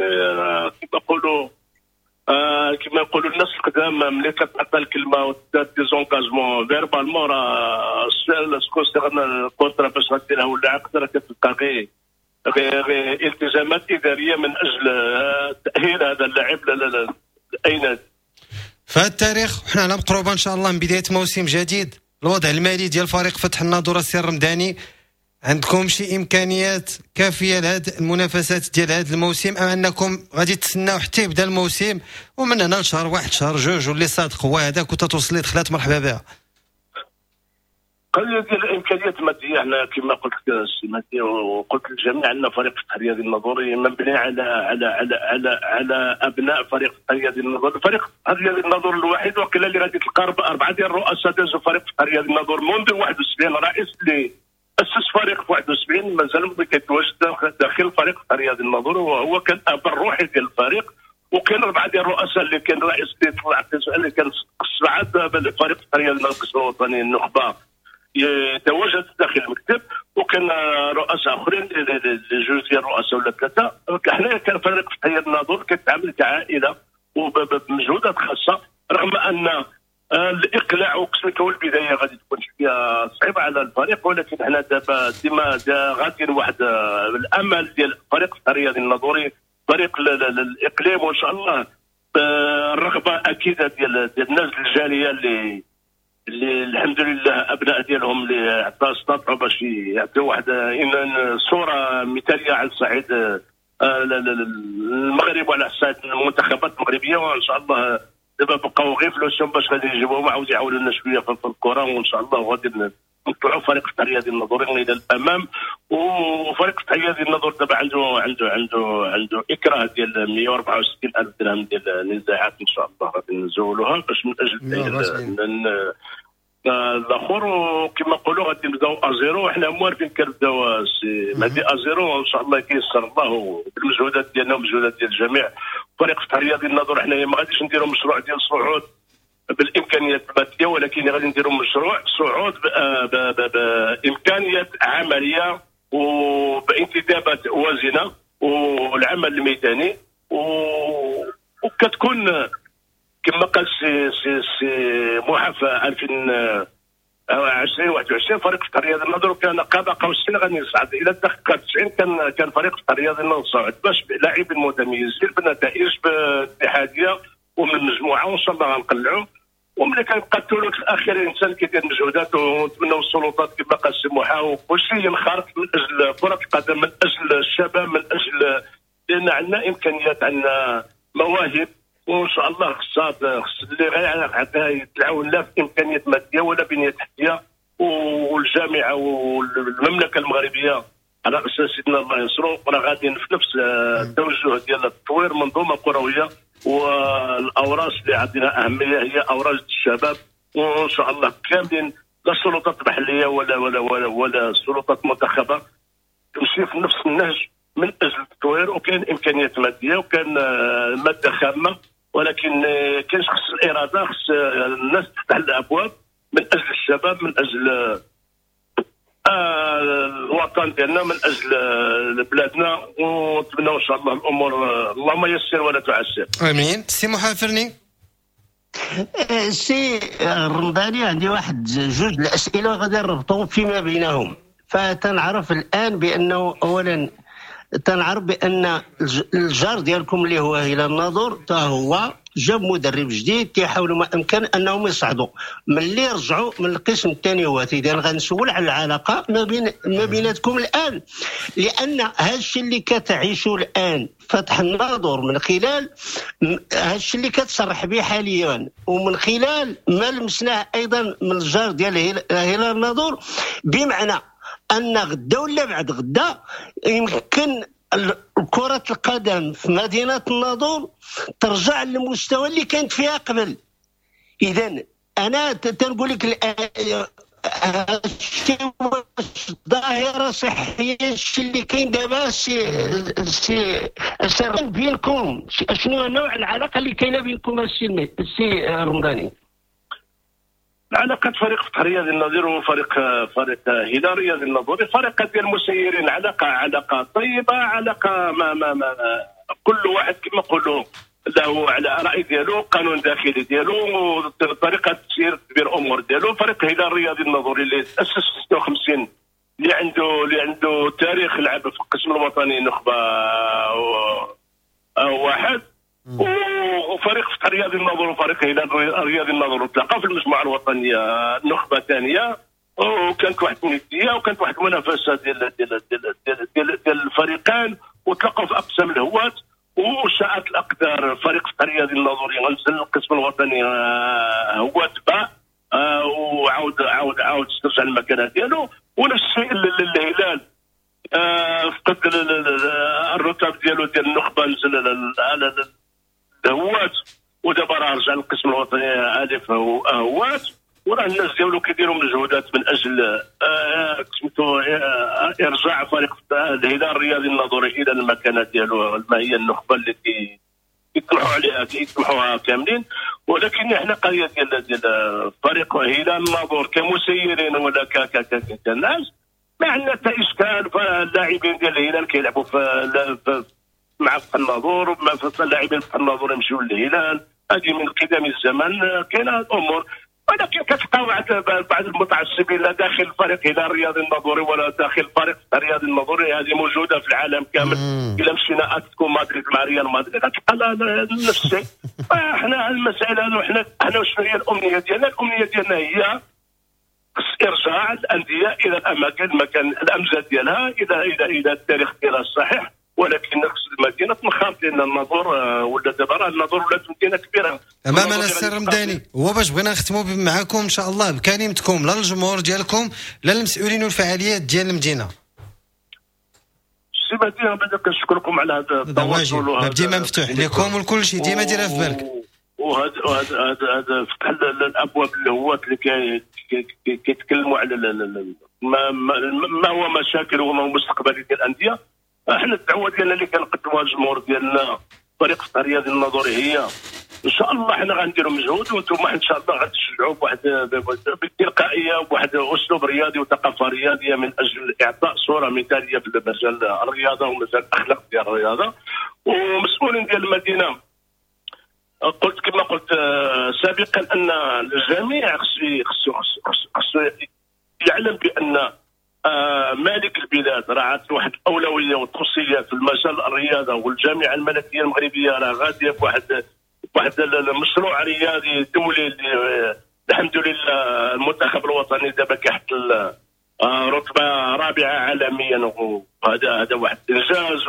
كما يقولوا الناس القدام، ملي كتعطى الكلمة ودار des engagements verbalement، راه concerne ال contrat باش غديرها ولا عقد راه كتبقى غير التزامات ادارية من اجل تاهيل هذا اللاعب لاي نادي. في هذا التاريخ وحنا على مقربة ان شاء الله من بداية موسم جديد، الوضع المالي ديال فريق فتح الناظور السي الرمداني، عندكم شي امكانيات كافيه لهذه المنافسات ديال هذا الموسم، ام انكم غادي تسناو حتى يبدا الموسم ومن هنا لشهر واحد شهر جوج واللي صادق هو هذاك وتتوصل لي دخلات مرحبا بها؟ قضية ديال الامكانيات الماديه، حنا كما قلت لك السي مهدي وقلت للجميع ان فريق فتح الرياضي الناظوري مبني على على على على على ابناء فريق فتح الرياضي الناظور. فريق فتح الرياضي الناظور الوحيد وقيلا اللي غادي تلقى اربعة ديال الرؤساء دازوا فريق فتح الرياضي الناظور منذ 71، رئيس اللي اسس فريق في 71 مازال كيتواجد داخل فريق فتح الرياضي الناظور، وهو كان الاب الروحي ديال الفريق. وكاين اربعة ديال الرؤساء اللي كان رئيس اللي طلع اللي كان سبعة فريق فتح الرياضي القسم الوطني النخبة يتواجد داخل المكتب، وكان رؤساء اخرين جوج ديال الرؤساء ولا ثلاثة. حنا كان فريق فتح الناظور كيتعامل كعائله وبمجهودات خاصة، رغم ان الاقلاع وقسمك هو البداية غادي تكون شوية صعيبة على الفريق، ولكن حنا دابا ديما غاديين واحد الامل ديال فريق فتح الرياضي الناظوري، فريق الاقليم، وان شاء الله الرغبة اكيدة ديال الناس الجالية اللي الحمد لله ابناء ديالهم اللي استطاعوا باش يعطيو واحد صوره مثاليه على الصعيد المغرب وعلى الصعيد المنتخبات المغربية. وان شاء الله دابا بقاو غير فلوسهم باش غادي يجيبوهم عاود يعاونونا شوية في الكره، وان شاء الله غادي نطلعوا فريق فتح الرياضي الناظوري الى الامام. وفريق فتح الرياضي الناظور دابا عنده عنده عنده عنده اكراه ديال 164 الف درهم ديال النزاعات، ان شاء الله غادي نزولوها باش من اجل الاخر. وكما نقولوا غادي نبداو à zéro، حنا موالفين كنبداو سي مهدي à zéro، وان شاء الله كيسر الله بالمجهودات ديالنا ومجهودات ديال الجميع. فريق فتح الرياضي الناظور حنايا ما غاديش نديروا مشروع ديال الصعود بالامكانيات المادية، ولكن غادي نديروا مشروع صعود بامكانيات عملية وبانتدابات وازنه والعمل الميداني، وكتكون كما قال سي سي سي موحى في 2020 21 فريق فتح الرياضي الناظور كان قاب قوسين غادي يصعد الى الدقيقة 90. كان فريق فتح الرياضي الناظور صعد باش لاعبين متميزين بنتائج اتحادية ومن المجموعة، وان شاء الله غنقلعوا. وملي كيبقى الثلث الاخير الانسان كيدير مجهودات، ونتمنوا السلطات كما قال السي موحى وكلشي ينخرط من اجل كره القدم، من اجل الشباب، من اجل لان عندنا امكانيات، عندنا مواهب، وان شاء الله خص اللي غيعطيها يتعاون لا في امكانيات مادية ولا بنيه تحتيه. والجامعة والمملكة المغربية على اساس سيدنا الله ينصرو راه غاديين في نفس التوجه ديال التطوير منظومة كروية، والاوراش اللي عندنا اهمية هي اوراش الشباب، وان شاء الله كاملين لا السلطات المحلية ولا ولا ولا ولا السلطات المنتخبه تمشي في نفس النهج من اجل التطوير. وكاين امكانيات مادية وكان مادة خامة، ولكن كاين خص الارادة، خص الناس تفتح الابواب من اجل الشباب، من اجل الوطن ديالنا، من اجل بلادنا. ونتمنى ان شاء الله الامور اللهم يسر ولا تعسر. امين. سي محافرني. سي الرمضاني، عندي واحد جوج الاسئلة غادي نربطهم فيما بينهم. فتنعرف الان بانه اولا تنعرف بان الجار ديالكم اللي هو هلال الناظور تا هو جاب مدرب جديد، كيحاولوا ما امكن انهم يصعدوا. ملي رجعوا من القسم الثاني هو اذا غنسول على العلاقة ما بيناتكم الان، لان هذا الشيء اللي كتعيشوا الان فتح الناظور من خلال هذا الشيء اللي كتصرح به حاليا، ومن خلال ما لمسناه ايضا من الجار ديال هلال الناظور، بمعنى ان غدا ولا بعد غدا يمكن كرة القدم في مدينة الناظور ترجع للمستوى اللي كانت فيها قبل. إذا أنا تنقول لك هادشي ظاهرة صحية، الشيء اللي كاين دابا سي سي بينكم، شنو نوع العلاقة اللي كاينة بينكم السي رمضاني؟ علاقة فريق فتح الرياضي الناظور وفريق فريق هلال الرياضي الناظوري فريق ديال المسيرين، علاقة طيبة، علاقة ما ما ما كل واحد كما نقولوا له على رأي ديالو، قانون داخلي ديالو، طريقة تسيير تدبير أمور ديالو. فريق هلال الرياضي الناظوري اللي تأسس في 56، اللي عنده تاريخ لعب في القسم الوطني نخبة واحد، وفريق فتح الرياضي الناظور وفريق هلال الرياضي الناظور تلاقاو في المجموعة الوطنية النخبة الثانية، وكانت واحد الندية وكانت واحد المنافسة ديال ديال ديال ديال, ديال, ديال الفريقين، وتلاقاو في اقسام الهواة. وشاءت الاقدار فريق فتح الرياضي الناظوري نزل القسم الوطني هواة باء، وعاود عاود عاود استرجع المكانة ديالو. ونفس الشيء للهلال، فقد الرتب ديالو ديال النخبة، نزل الهواة، ودابا راه رجع للقسم الوطني الف هواة. وراه الناس ديالو كيديروا مجهودات من اجل سميتو ارجاع فريق الهلال الرياضي الناظوري الى المكانة ديالو، ما هي النخبة اللي كيطمحوا عليها كيطمحوها كاملين. ولكن حنا قضية ديال فريق هلال الناظور كمسيرين ولا كناس ما عندنا حتى اشكال. فاللاعبين ديال الهلال كيلعبوا في مع فتح الناظور، اللاعبين فتح الناظور يمشيو للهلال، هذه من قدم الزمن كاينه الامور. ولكن كتلقى بعض المتعصبين لا داخل فريق هلال الرياضي الناظوري ولا داخل فريق الرياضي الناظوري، هذه موجودة في العالم كامل. الا مشينا اتلتيكو مدريد مع ريال مدريد غتلقى نفس الشيء. احنا المسائل هذو، حنا شنو هي الامنية ديالنا؟ الامنية ديالنا هي ارجاع الاندية الى الاماكن مكان الامجاد ديالها، الى الى الى التاريخ ديالها الصحيح. ولكن خص المدينة تنخرط، لان الناظور ولا دابا راه الناظور ولات مدينة كبيرة. امامنا السي الرمضاني، هو باش بغينا نختموا معكم ان شاء الله بكلمتكم لا للجمهور ديالكم لا للمسؤولين والفعاليات ديال المدينة. السي مهدي، بعدا كنشكركم على هذا التواصل، ديما مفتوح لكم وكل شيء، ديما ديرها في بالك. وهذا هذا فتح الابواب الهواة اللي كيتكلموا على ما هو مشاكل وما هو مستقبل ديال الاندية. احنا الدعوة ديالنا اللي كنقدموها للجمهور ديالنا فريق فتح الرياضي الناظوري هي ان شاء الله حنا غنديروا مجهود، وانتم ان شاء الله غتشجعوا بواحد بالتلقائيه وبواحد اسلوب رياضي وثقافة رياضية من اجل اعطاء صوره مثاليه في مجال الرياضة ومجال الاخلاق ديال الرياضة. ومسؤولين ديال المدينة، قلت كما قلت سابقا ان الجميع خصو يعلم بان مالك البلاد راه عطى واحد الاولوية والتوصيه في المجال الرياضة، والجامعة الملكية المغربية راه غادية بواحد المشروع رياضي دولي اللي الحمد لله المنتخب الوطني دابا كيحتل رتبه رابعه عالميا، وهذا واحد الانجاز.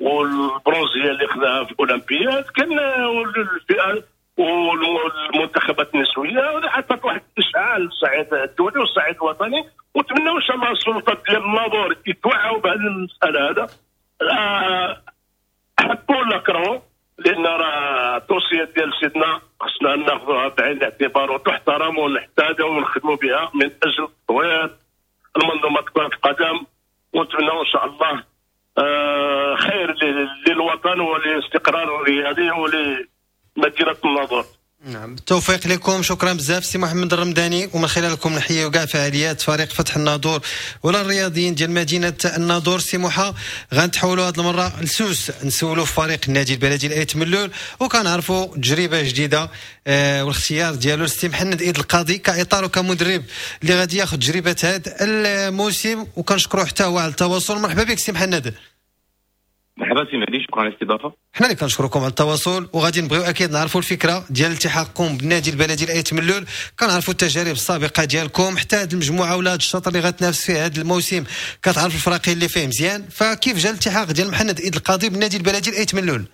والبرونزيه اللي خذاها في الاولمبياد كان الفئة والمنتخبات النسوية عطات واحد الاشعاع للصعيد الدولي والصعيد الوطني. ونتمنوا ان شاء الله السلطات ديال الناظور يتوعوا بهذه المسالة هذا، حبوا ولا كرهوا، لان راه التوصيات ديال سيدنا خصنا ناخذوها بعين الاعتبار وتحترم ونحتاجها ونخدموا بها من اجل تطوير المنظومة كره القدم. ونتمنوا ان شاء الله خير للوطن وللاستقرار الرياضي ولمدينه الناظور. نعم، بالتوفيق لكم. شكرا بزاف سي محمد الرمضاني، ومن خلالكم نحيي كاع فعاليات فريق فتح الناظور ولا الرياضيين ديال مدينة الناظور. سي موحى، غنتحولوا هذه المرة لسوس، نسولوا في فريق النادي البلدي الايت ملول، وكنعرفوا تجربه جديدة والاختيار ديالو السي محمد ايد القاضي كاطار وكمدرب اللي غادي ياخذ تجربه هذا الموسم، وكنشكروه حتى هو على التواصل. مرحبا بك سي محمد. مرحبا سي مهدي، شكرا على الاستضافة. حنا اللي كنشكركم على التواصل، وغادي نبغيو اكيد نعرفوا الفكرة ديال التحاقكم بالنادي البلدي الايت ملول. كنعرفوا التجارب السابقة ديالكم، حتى هذه المجموعة ولا هذا الشطر اللي غتنافس فيه هذا الموسم كتعرف الفراقي اللي فيه مزيان، فكيف جا الالتحاق ديال محمد ايد القاضي بالنادي البلدي الايت ملول؟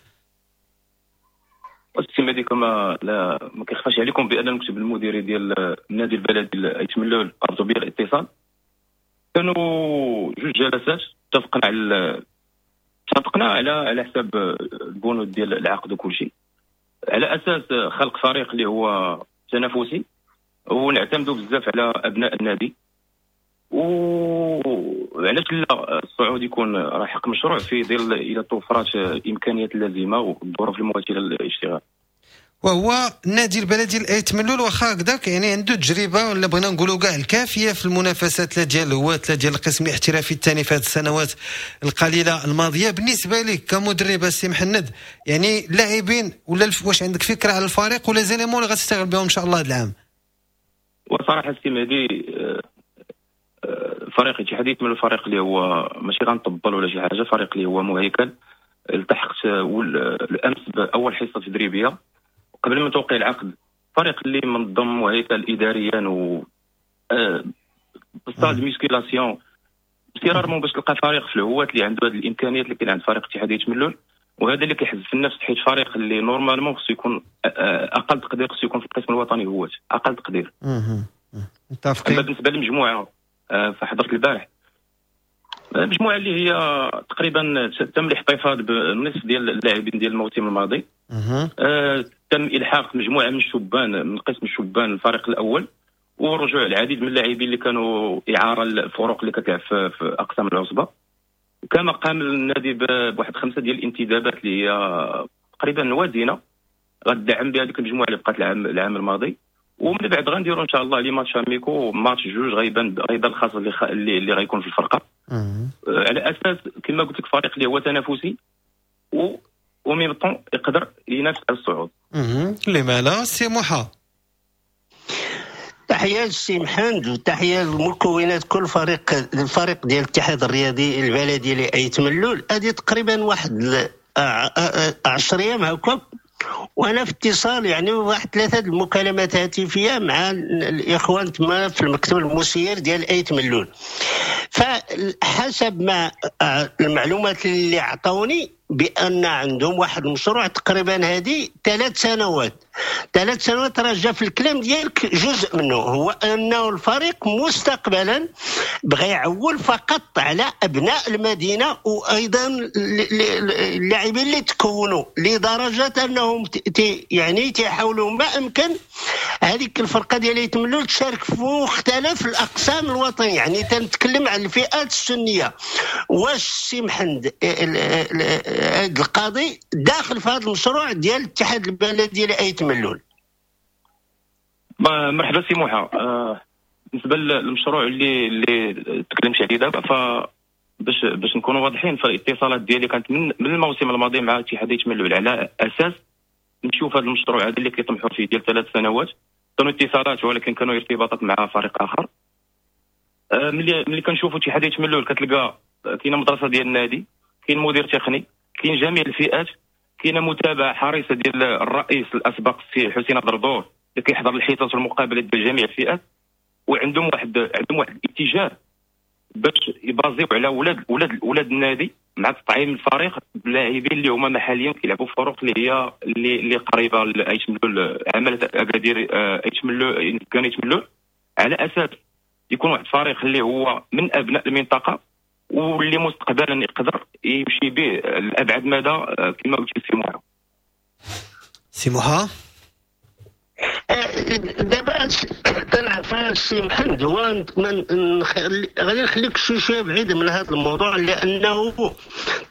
السي مهدي، كما لا ما كيخفاش عليكم بان المكتب المديري ديال النادي البلدي الايت ملول عرضوا بي الاتصال، كانوا جوج جلسات اتفقنا على حساب البنود ديال العقد وكل شيء، على اساس خلق فريق اللي هو تنافسي ونعتمدوا بزاف على ابناء النادي. وعلاش لا الصعود يكون راه حق مشروع في ظل الى توفرات الامكانيات اللازمة والظروف المواتيه للاشتغال. وهو النادي البلدي الايت ملول واخا هكذاك يعني عنده تجربه ولا بغينا نقولوا كاع الكافيه في المنافسات لا ديال الهواة لا ديال القسم الاحترافي الثاني في هذه السنوات القليلة الماضية. بالنسبة لك كمدرب السي محمد، يعني اللاعبين ولا واش عندك فكرة على الفريق ولا les éléments اللي غتشتغل بهم ان شاء الله هذا العام؟ وصراحة السي مهدي، فريق اتحادية من الفريق اللي هو ماشي غنطبل ولا شي حاجة، فريق اللي هو مهيكل، التحقت الامس باول حصة تدريبية قبل من توقيع العقد. فريق اللي منظم وهيكل اداريا و salle musculation، c'est rarement باش تلقى فريق في الهواة اللي عنده هذه الامكانيات اللي كاين عند فريق اتحاد آيت ملول، وهذا اللي كيحز في النفس، حيت فريق اللي normalement خصو يكون اقل تقدير خصو يكون في القسم الوطني هواة، اقل تقدير. متفقين. اما بالنسبة للمجموعة فحضرت البارح المجموعة اللي هي تقريبا تم الاحتفاظ بالنصف ديال اللاعبين ديال الموسم الماضي. تم الحاق مجموعة من الشبان من قسم الشبان الفريق الاول، ورجوع العديد من اللاعبين اللي كانوا اعاره للفرق اللي كتلعب في اقسام العصبة. كما قام النادي بواحد 5 ديال الانتدابات اللي هي تقريبا وازنه غتدعم بها هذيك المجموعة اللي بقات العام الماضي. ومن بعد غنديروا ان شاء الله les matchs amicaux، match جوج غيبان الخاص اللي غيكون في الفرقة. على اساس كما قلت لك فريق اللي هو تنافسي و même temps يقدر ينافس على الصعود. لما لا. سي موحى، تحية للسي محمد وتحية للمكونات كل فريق، الفريق ديال الاتحاد الرياضي البلدي لأيت ملول. هذه تقريبا واحد 10 ايام هكا وانا في اتصال، يعني واحد 3 المكالمات هاتفيه مع الاخوان تما في المكتب المسير ديال ايت ملول. فحسب ما المعلومات اللي عطوني بان عندهم واحد المشروع تقريبا هذه 3 سنوات. 3 سنوات راه جا في الكلام ديالك جزء منه هو انه الفريق مستقبلا بغى يعول فقط على ابناء المدينة وايضا اللاعبين اللي تكونوا، لدرجة انهم يعني تيحاولوا ما امكن هذيك الفرقة ديال آيت ملول تشارك في مختلف الاقسام الوطنية. يعني تنتكلم على الفئات السنية. واش سي محمد القاضي داخل في هذا المشروع ديال الاتحاد البلدي لأيت ملول؟ مرحبا سي موحى. بالنسبة للمشروع اللي تكلمت عليه دابا، ف باش نكونوا واضحين، فالاتصالات ديالي كانت من الموسم الماضي مع اتحاد آيت ملول على اساس نشوف هذا المشروع هذا اللي كيطمحوا فيه ديال 3 سنوات. كانوا اتصالات ولكن كانوا ارتباطات مع فريق اخر. ملي كنشوفوا اتحاد آيت ملول كتلقى كاينه مدرسه ديال النادي، كاين مدير تقني، كاين جميع الفئات، كاينه متابعه حريصة ديال الرئيس الاسبق السي حسين دردور اللي كيحضر الحصص والمقابلات ديال جميع الفئات، وعندهم واحد الاتجاه باش يبازيو على ولاد النادي مع تطعيم الفريق بلاعبين اللي هما محليا كيلعبوا في فرق اللي هي اللي قريبه لايت ملول، عماله اكادير ايت ملول، كان ايت ملول، على اساس يكون واحد الفريق اللي هو من ابناء المنطقة واللي مستقبلا يقدر يمشي به لابعد مدى كما قلت سي موحى. سي موحى، دابا تنعرف السي محمد، هو غادي نخليك شوية بعيد من هذا الموضوع، لانه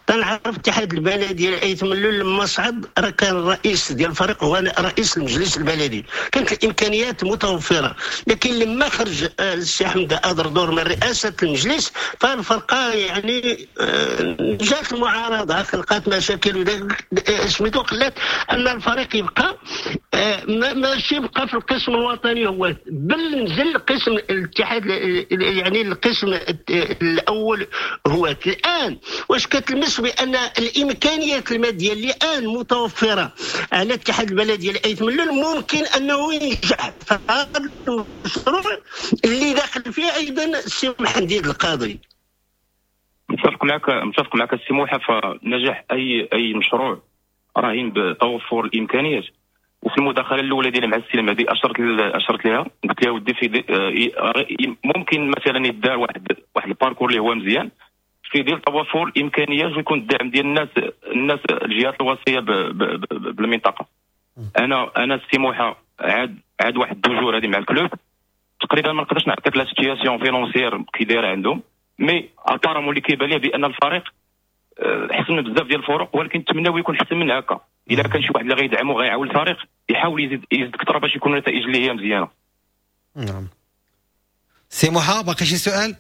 تنعرف الاتحاد البلدي ديال آيت ملول لما صعد راه كان الرئيس ديال الفريق هو رئيس المجلس البلدي، كانت الامكانيات متوفرة، لكن لما خرج السي احمد أدردور من رئاسة المجلس فالفرقه يعني جات المعارضة، خلقات مشاكل سميتو، خلات ان الفريق يبقى ماشي يبقى في القسم الوطني هو، بل نزل قسم الاتحاد، يعني القسم الاول هو. الان واش كتلمس بان الامكانيات المادية اللي الان متوفرة على الاتحاد البلدي لأيت ملول ممكن انه ينجح في هذا المشروع اللي داخل فيه ايضا السي محمد القاضي؟ متفق معك السي موحى. فنجاح اي مشروع رهين بتوفر الامكانيات. وفي المداخلة الاولى ديالي مع السي المهدي اشرت لها، قلت لها ودي في ممكن مثلا يدار واحد ال parcours اللي هو مزيان في ديال توفر الامكانيات ويكون الدعم ديال الناس الجهات الوصية بالمنطقة. انا السي موحى عاد واحد deux jours هذه مع ال club تقريبا، ما نقدرش نعطيك la situation financière كي دايرة عندهم، mais apparemment اللي كيبان ليه بان الفريق حسن بزاف ديال الفرق، ولكن نتمناو يكون حسن من هكا. الا كان شي واحد اللي غيدعمو غيعاون الفريق يحاول يزيد اكثر باش يكون النتائج اللي هي مزيانه. نعم سي موحى، باقي شي سؤال؟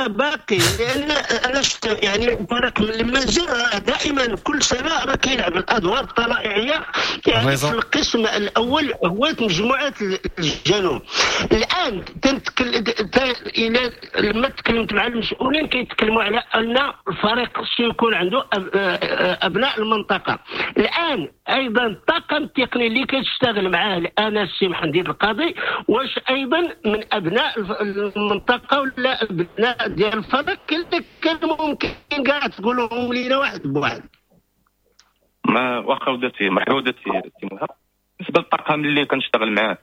باقي، لان انا شفت يعني الفريق مازال دائما كل سنة راه كيلعب الادوار الطلائعيه يعني في القسم الاول هو مجموعة الجنوب. الان تنتكلم الى لما تكلمت مع المسؤولين كيتكلموا على ان الفريق خصو يكون عنده ابناء المنطقة. الان ايضا الطاقم التقني اللي كتشتغل معاه الان السي محمد القاضي، واش ايضا من ابناء المنطقة ولا ابناء ديال الفريق؟ كان ممكن كاع تقولهم لينا واحد بواحد. ما واخا ودرتي، مرحبا ودرتي سي موحى. بالنسبة للطاقم اللي كنشتغل معاه،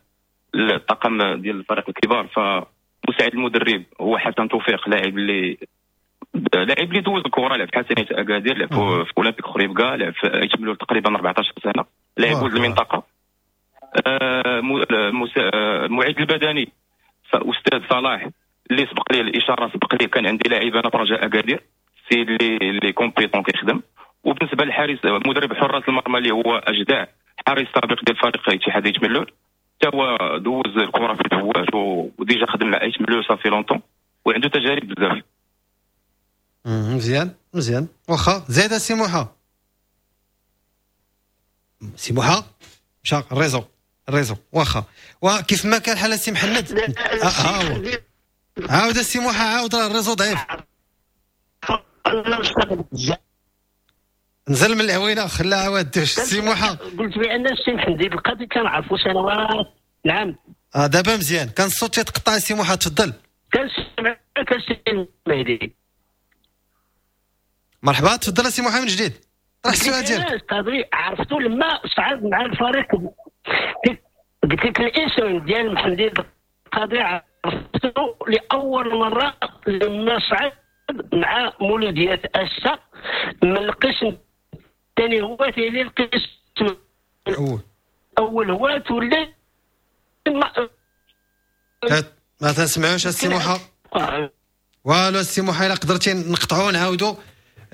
الطاقم ديال الفريق الكبار، فمساعد المدرب هو حسن توفيق، لاعب اللي دوز الكره، لعب في حسنيه اكادير، لعب في اولمبيك خريبكا، لعب في ايت ملول تقريبا 14 سنة، لاعب ولد المنطقة. المعيد البدني استاذ صلاح اللي سبق لي الاشارة، سبق لي كان عندي لاعب انا في رجاء اكادير، السيد اللي compétent كيخدم. وبالنسبة للحارس مدرب حراس المرمى اللي هو اجدع، حارس سابق ديال فريق اتحاد ايت ملول، حتى هو دوز الكره في الهواة و déjà خدم مع ايت ملول ça fait longtemps وعنده تجارب بزاف. مزيان مزيان، واخا زيد سي موحى. سي موحى مشى ال réseau واخا. وكيف ما كان حال سي محمد، عاود السي موحى، عاود راه ال réseau ضعيف. نزل من العوينة خلاه عاود دوش. سي موحى قلت بان السي محمد القاضي كنعرفو سنوات. نعم دابا مزيان، كان الصوت تيتقطع. سي موحى تفضل. كنسمعك السي المهدي. مرحبا، تفضل سي موحى من جديد، طرح السؤال ديالك. القاضي عرفتو لما صعد مع الفريق، قلت لك الاسم ديال محمد القاضي عرفتو لاول مرة لما صعد مع مولودية اسا من القسم الثاني هو ثاني القسم الاول هو ولا ما تسمعوش السي موحى والو. السي موحى الا قدرتي نقطعو نعاودو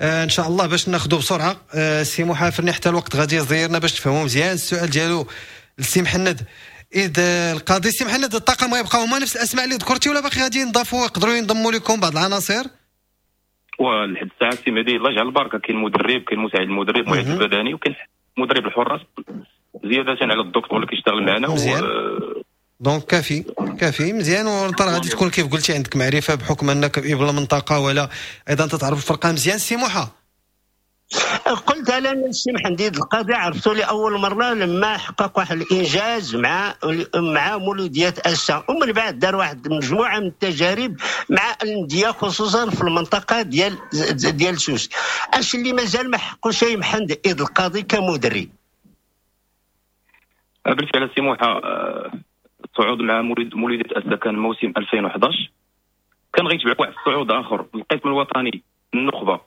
ان شاء الله باش ناخذو بسرعة. السي موحى فرني حتى الوقت غادي يزيرنا باش تفهموا مزيان السؤال ديالو للسي محند إذ القاضي. السي محند، الطاقم غيبقاو هما نفس الاسماء اللي ذكرتي ولا باقي غادي ينضافوا يقدروا ينضموا لكم بعض العناصر؟ ولحد الساعة السي مهدي الله يجعل البركة، كاين مدرب، كاين مساعد المدرب، معد البدني، وكاين مدرب الحراس، زيادة على الدكتور اللي كيشتغل معنا. مزيان donc كافي كافي مزيان. وانت غادي تكون كيف قلتي عندك معرفة بحكم انك ابن المنطقة ولا ايضا تتعرف الفرقة مزيان. سي موحى قلت انا السي محمد القاضي عرفتو لاول مرة لما حقق واحد الانجاز مع مولوديه اسا، ومن بعد دار واحد المجموعة من التجارب مع الاندية خصوصا في المنطقة ديال سوس. اش اللي مازال ما حققوش محمد القاضي كمدرب؟ بالفعل السي موحى، الصعود مع مولوديه اسا كان موسم 2011، كان غيتبع واحد الصعود اخر القسم الوطني النخبة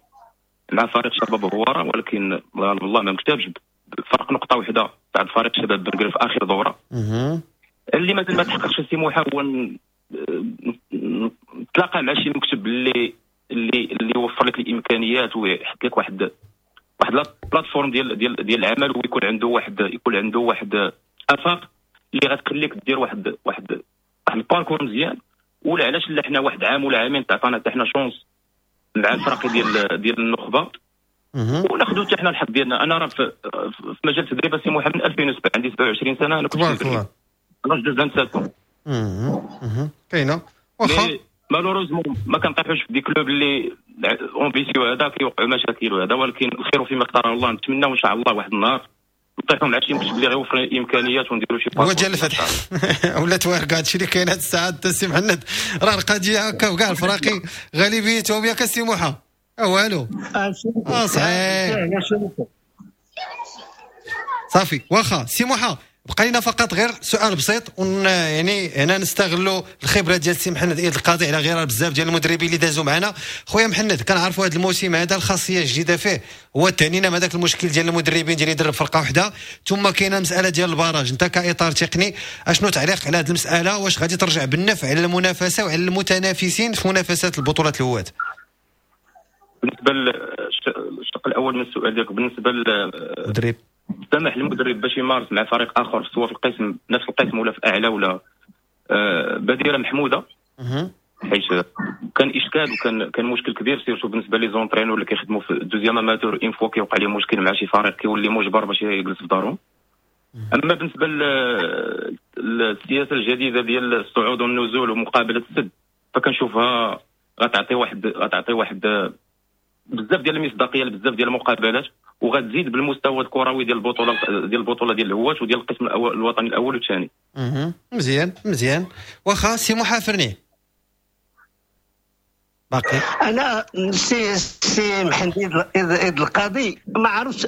مع فريق شباب هواره، ولكن الله ما مكتبش، فرق نقطة واحدة بعد فريق شباب بنقرير في اخر دوره. اللي مازال ما تحققش السي موحى هو نتلاقى مع شي مكتب اللي اللي اللي يوفر لك الامكانيات ويحط لك واحد la plateforme ديال ديال ديال العمل، ويكون عنده واحد افاق اللي غتخليك دير واحد واحد واحد ال parcours مزيان. ولا علاش لا حنا واحد عام ولا عامين تعطانا حتى حنا chance مع الفرق ديال النخبة وناخذوا حتى حنا الحظ ديالنا. انا راه في مجال التدريب سي محمد من 2007، عندي 27 سنة، انا كنت تبارك الله 27. كاينه واخا malheureusement ما كنطيحوش في des clubs اللي ambitieux هذا كيوقعوا مشاكل وهذا، ولكن الخير فيما اختاره الله. نتمناو ان شاء الله واحد النهار نطيحوا مع شي مكتب اللي غيوفر الامكانيات ونديروا شي هو ديال الفتح ولا توارك. هادشي اللي كاين هاد الساعة السي محمد، راه القضية هكا وكاع الفراقي غالبيتهم ياك السي موحى والو. صحيح صافي واخا سي موحى، بقى لنا فقط غير سؤال بسيط، يعني هنا نستغلوا الخبرة ديال السي محمد ايد القاضي على غير بزاف ديال المدربين اللي دازوا معنا. خويا محمد، كنعرفوا هذا الموسم هذا الخاصية الجديدة فيه هو تهنينا من هذاك المشكل ديال المدربين ديال يدرب فرقه وحده، ثم كاينه مسالة ديال ال barrage. انت كاطار تقني اشنو تعليق على هذه المسالة؟ واش غادي ترجع بالنفع على المنافسة وعلى المتنافسين في منافسات البطولات الهواة؟ بالنسبة للشق الاول من السؤال ديالك، بالنسبة للمدرب، سمح للمدرب باش يمارس مع فريق اخر سواء في القسم نفس القسم ولا في اعلى ولا بديره محمودة. حيت كان اشكال وكان مشكل كبير surtout بالنسبة les entraîneurs اللي كيخدموا في deuxième amateur، une fois كيوقع لهم مشكل مع شي فريق كيولي مجبر باش يجلس في دارهم. اما بالنسبة للسياسة الجديدة ديال الصعود والنزول ومقابله السد، فكنشوفها غتعطي واحد بزاف ديال المصداقية لبزاف ديال المقابلات، وغتزيد بالمستوى الكروي ديال البطولة ديال الهواة وديال القسم الوطني الاول والثاني. مزيان مزيان. واخا سي محافرني باقي انا سي محمد القاضي، ما عرفتش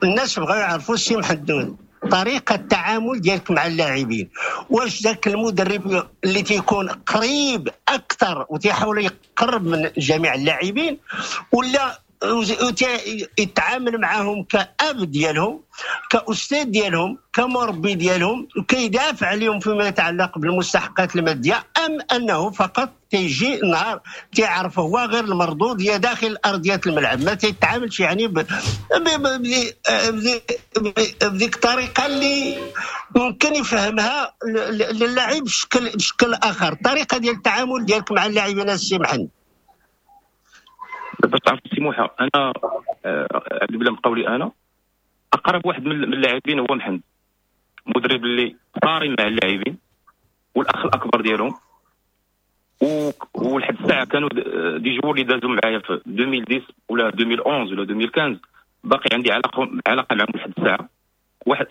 الناس بغاو يعرفوا سي محمد طريقه التعامل ديالك مع اللاعبين، واش ذاك المدرب اللي تيكون قريب اكثر وتيحاول يقرب من جميع اللاعبين، ولا يتعامل معهم كأب ديالهم، كأستاذ ديالهم، كمربي ديالهم، وكيدافع عليهم فيما يتعلق بالمستحقات المادية، أم أنه فقط تيجي نهار تيعرف هو غير المردودية داخل أرضية الملعب، ما تيتعاملش يعني بديك الطريقة اللي ممكن يفهمها للاعب بشكل آخر. الطريقة ديال التعامل ديالك مع اللاعبين السي محمد؟ باش تعرف سي موحى، انا عبد بالله مقاولي، انا اقرب واحد من اللاعبين هو محمد، مدرب اللي صارم مع اللاعبين والاخ الاكبر ديالهم، ولحد الساعة كانوا des joueurs اللي دازوا معايا في 2010 ولا 2011 ولا 2015 باقي عندي علاقة معهم لحد الساعة.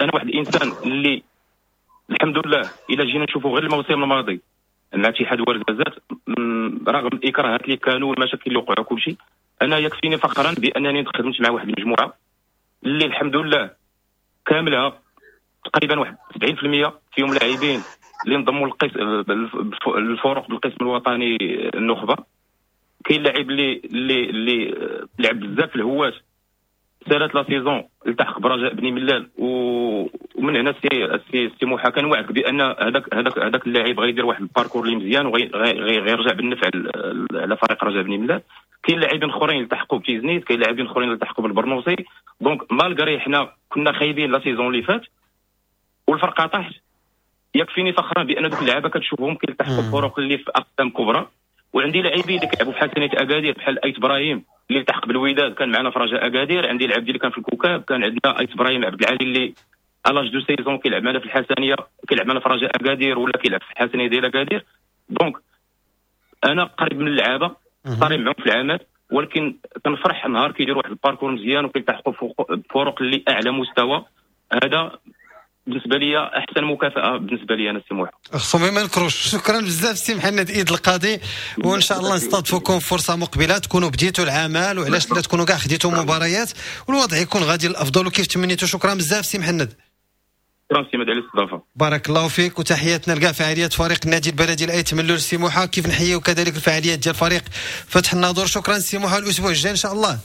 انا واحد الانسان اللي الحمد لله الا جينا نشوفوا غير الموسم الماضي مع اتحاد ورزازات، رغم الاكراهات اللي كانوا والمشاكل اللي وقعوا كلشي، انا يكفيني فخرا بانني خدمت مع واحد المجموعة اللي الحمد لله كاملها تقريبا واحد 70% فيهم لاعبين اللي انضموا الفرق بالقسم الوطني النخبة. كاين لاعب اللي لعب بزاف في الهواة، سالات la saison التحق برجاء بني ملال، ومن هنا سي موحى كان وعدك بان هذاك اللاعب غيدير واحد ال parcours اللي مزيان وغيرجع بالنفع على فريق رجاء بني ملال. كاين لاعبين اخرين التحقوا بتيزنيت، كاين لاعبين اخرين التحقوا بالبرنوصي. donc malgré حنا كنا خايبين la saison اللي فات والفرقة طاحت، يكفيني فخرا بان دوك اللعابه كتشوفهم كيلتحقوا بفرق اللي في اقسام كبرى. وعندي لاعبين اللي كيلعبوا في حسنيه اكادير بحال ايت ابراهيم اللي التحق بالوداد كان معنا في رجاء اكادير، عندي العبد اللي كان في الكوكاب، كان عندنا ايت ابراهيم عبد العالي اللي à l'âge de seize ans كيلعب معنا في الحسنيه، كيلعب معنا في رجاء اكادير ولا كيلعب في الحسنيه ديال اكادير. donc انا قريب من اللعابه، صارم معهم في العمل، ولكن كنفرح نهار كيديروا واحد ال parcours مزيان وكيلتحقوا بفرق اللي اعلى مستوى. هذا بالنسبة لي احسن مكافاة بالنسبة لي انا سي موحى. خصهم ما نكروش. شكرا بزاف سي محمد ايد القاضي، وان شاء الله نستضيفكم فرصة مقبله تكونوا بديتوا العمل، وعلاش لا تكونوا كاع خديتوا مباريات والوضع يكون غادي للافضل وكيف تمنيتوا. شكرا بزاف سي محمد. شكرا سي مدى على الاستضافة. بارك الله فيك، وتحياتنا لكاع فعاليات فريق النادي البلدي الايت ملول سي موحى، كيف نحييو كذلك الفعاليات ديال فريق فتح الناظور. شكرا سي موحى، الاسبوع الجاي ان شاء الله.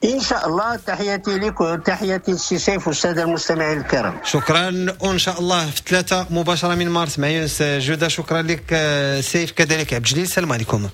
ان شاء الله. تحياتي لك وتحياتي للسي سيف والسادة المستمعين الكرام. شكرا، وان شاء الله في 3 مباشرة من مارس مع يونس جوده. شكرا لك سيف، كذلك عبد الجليل. السلام عليكم.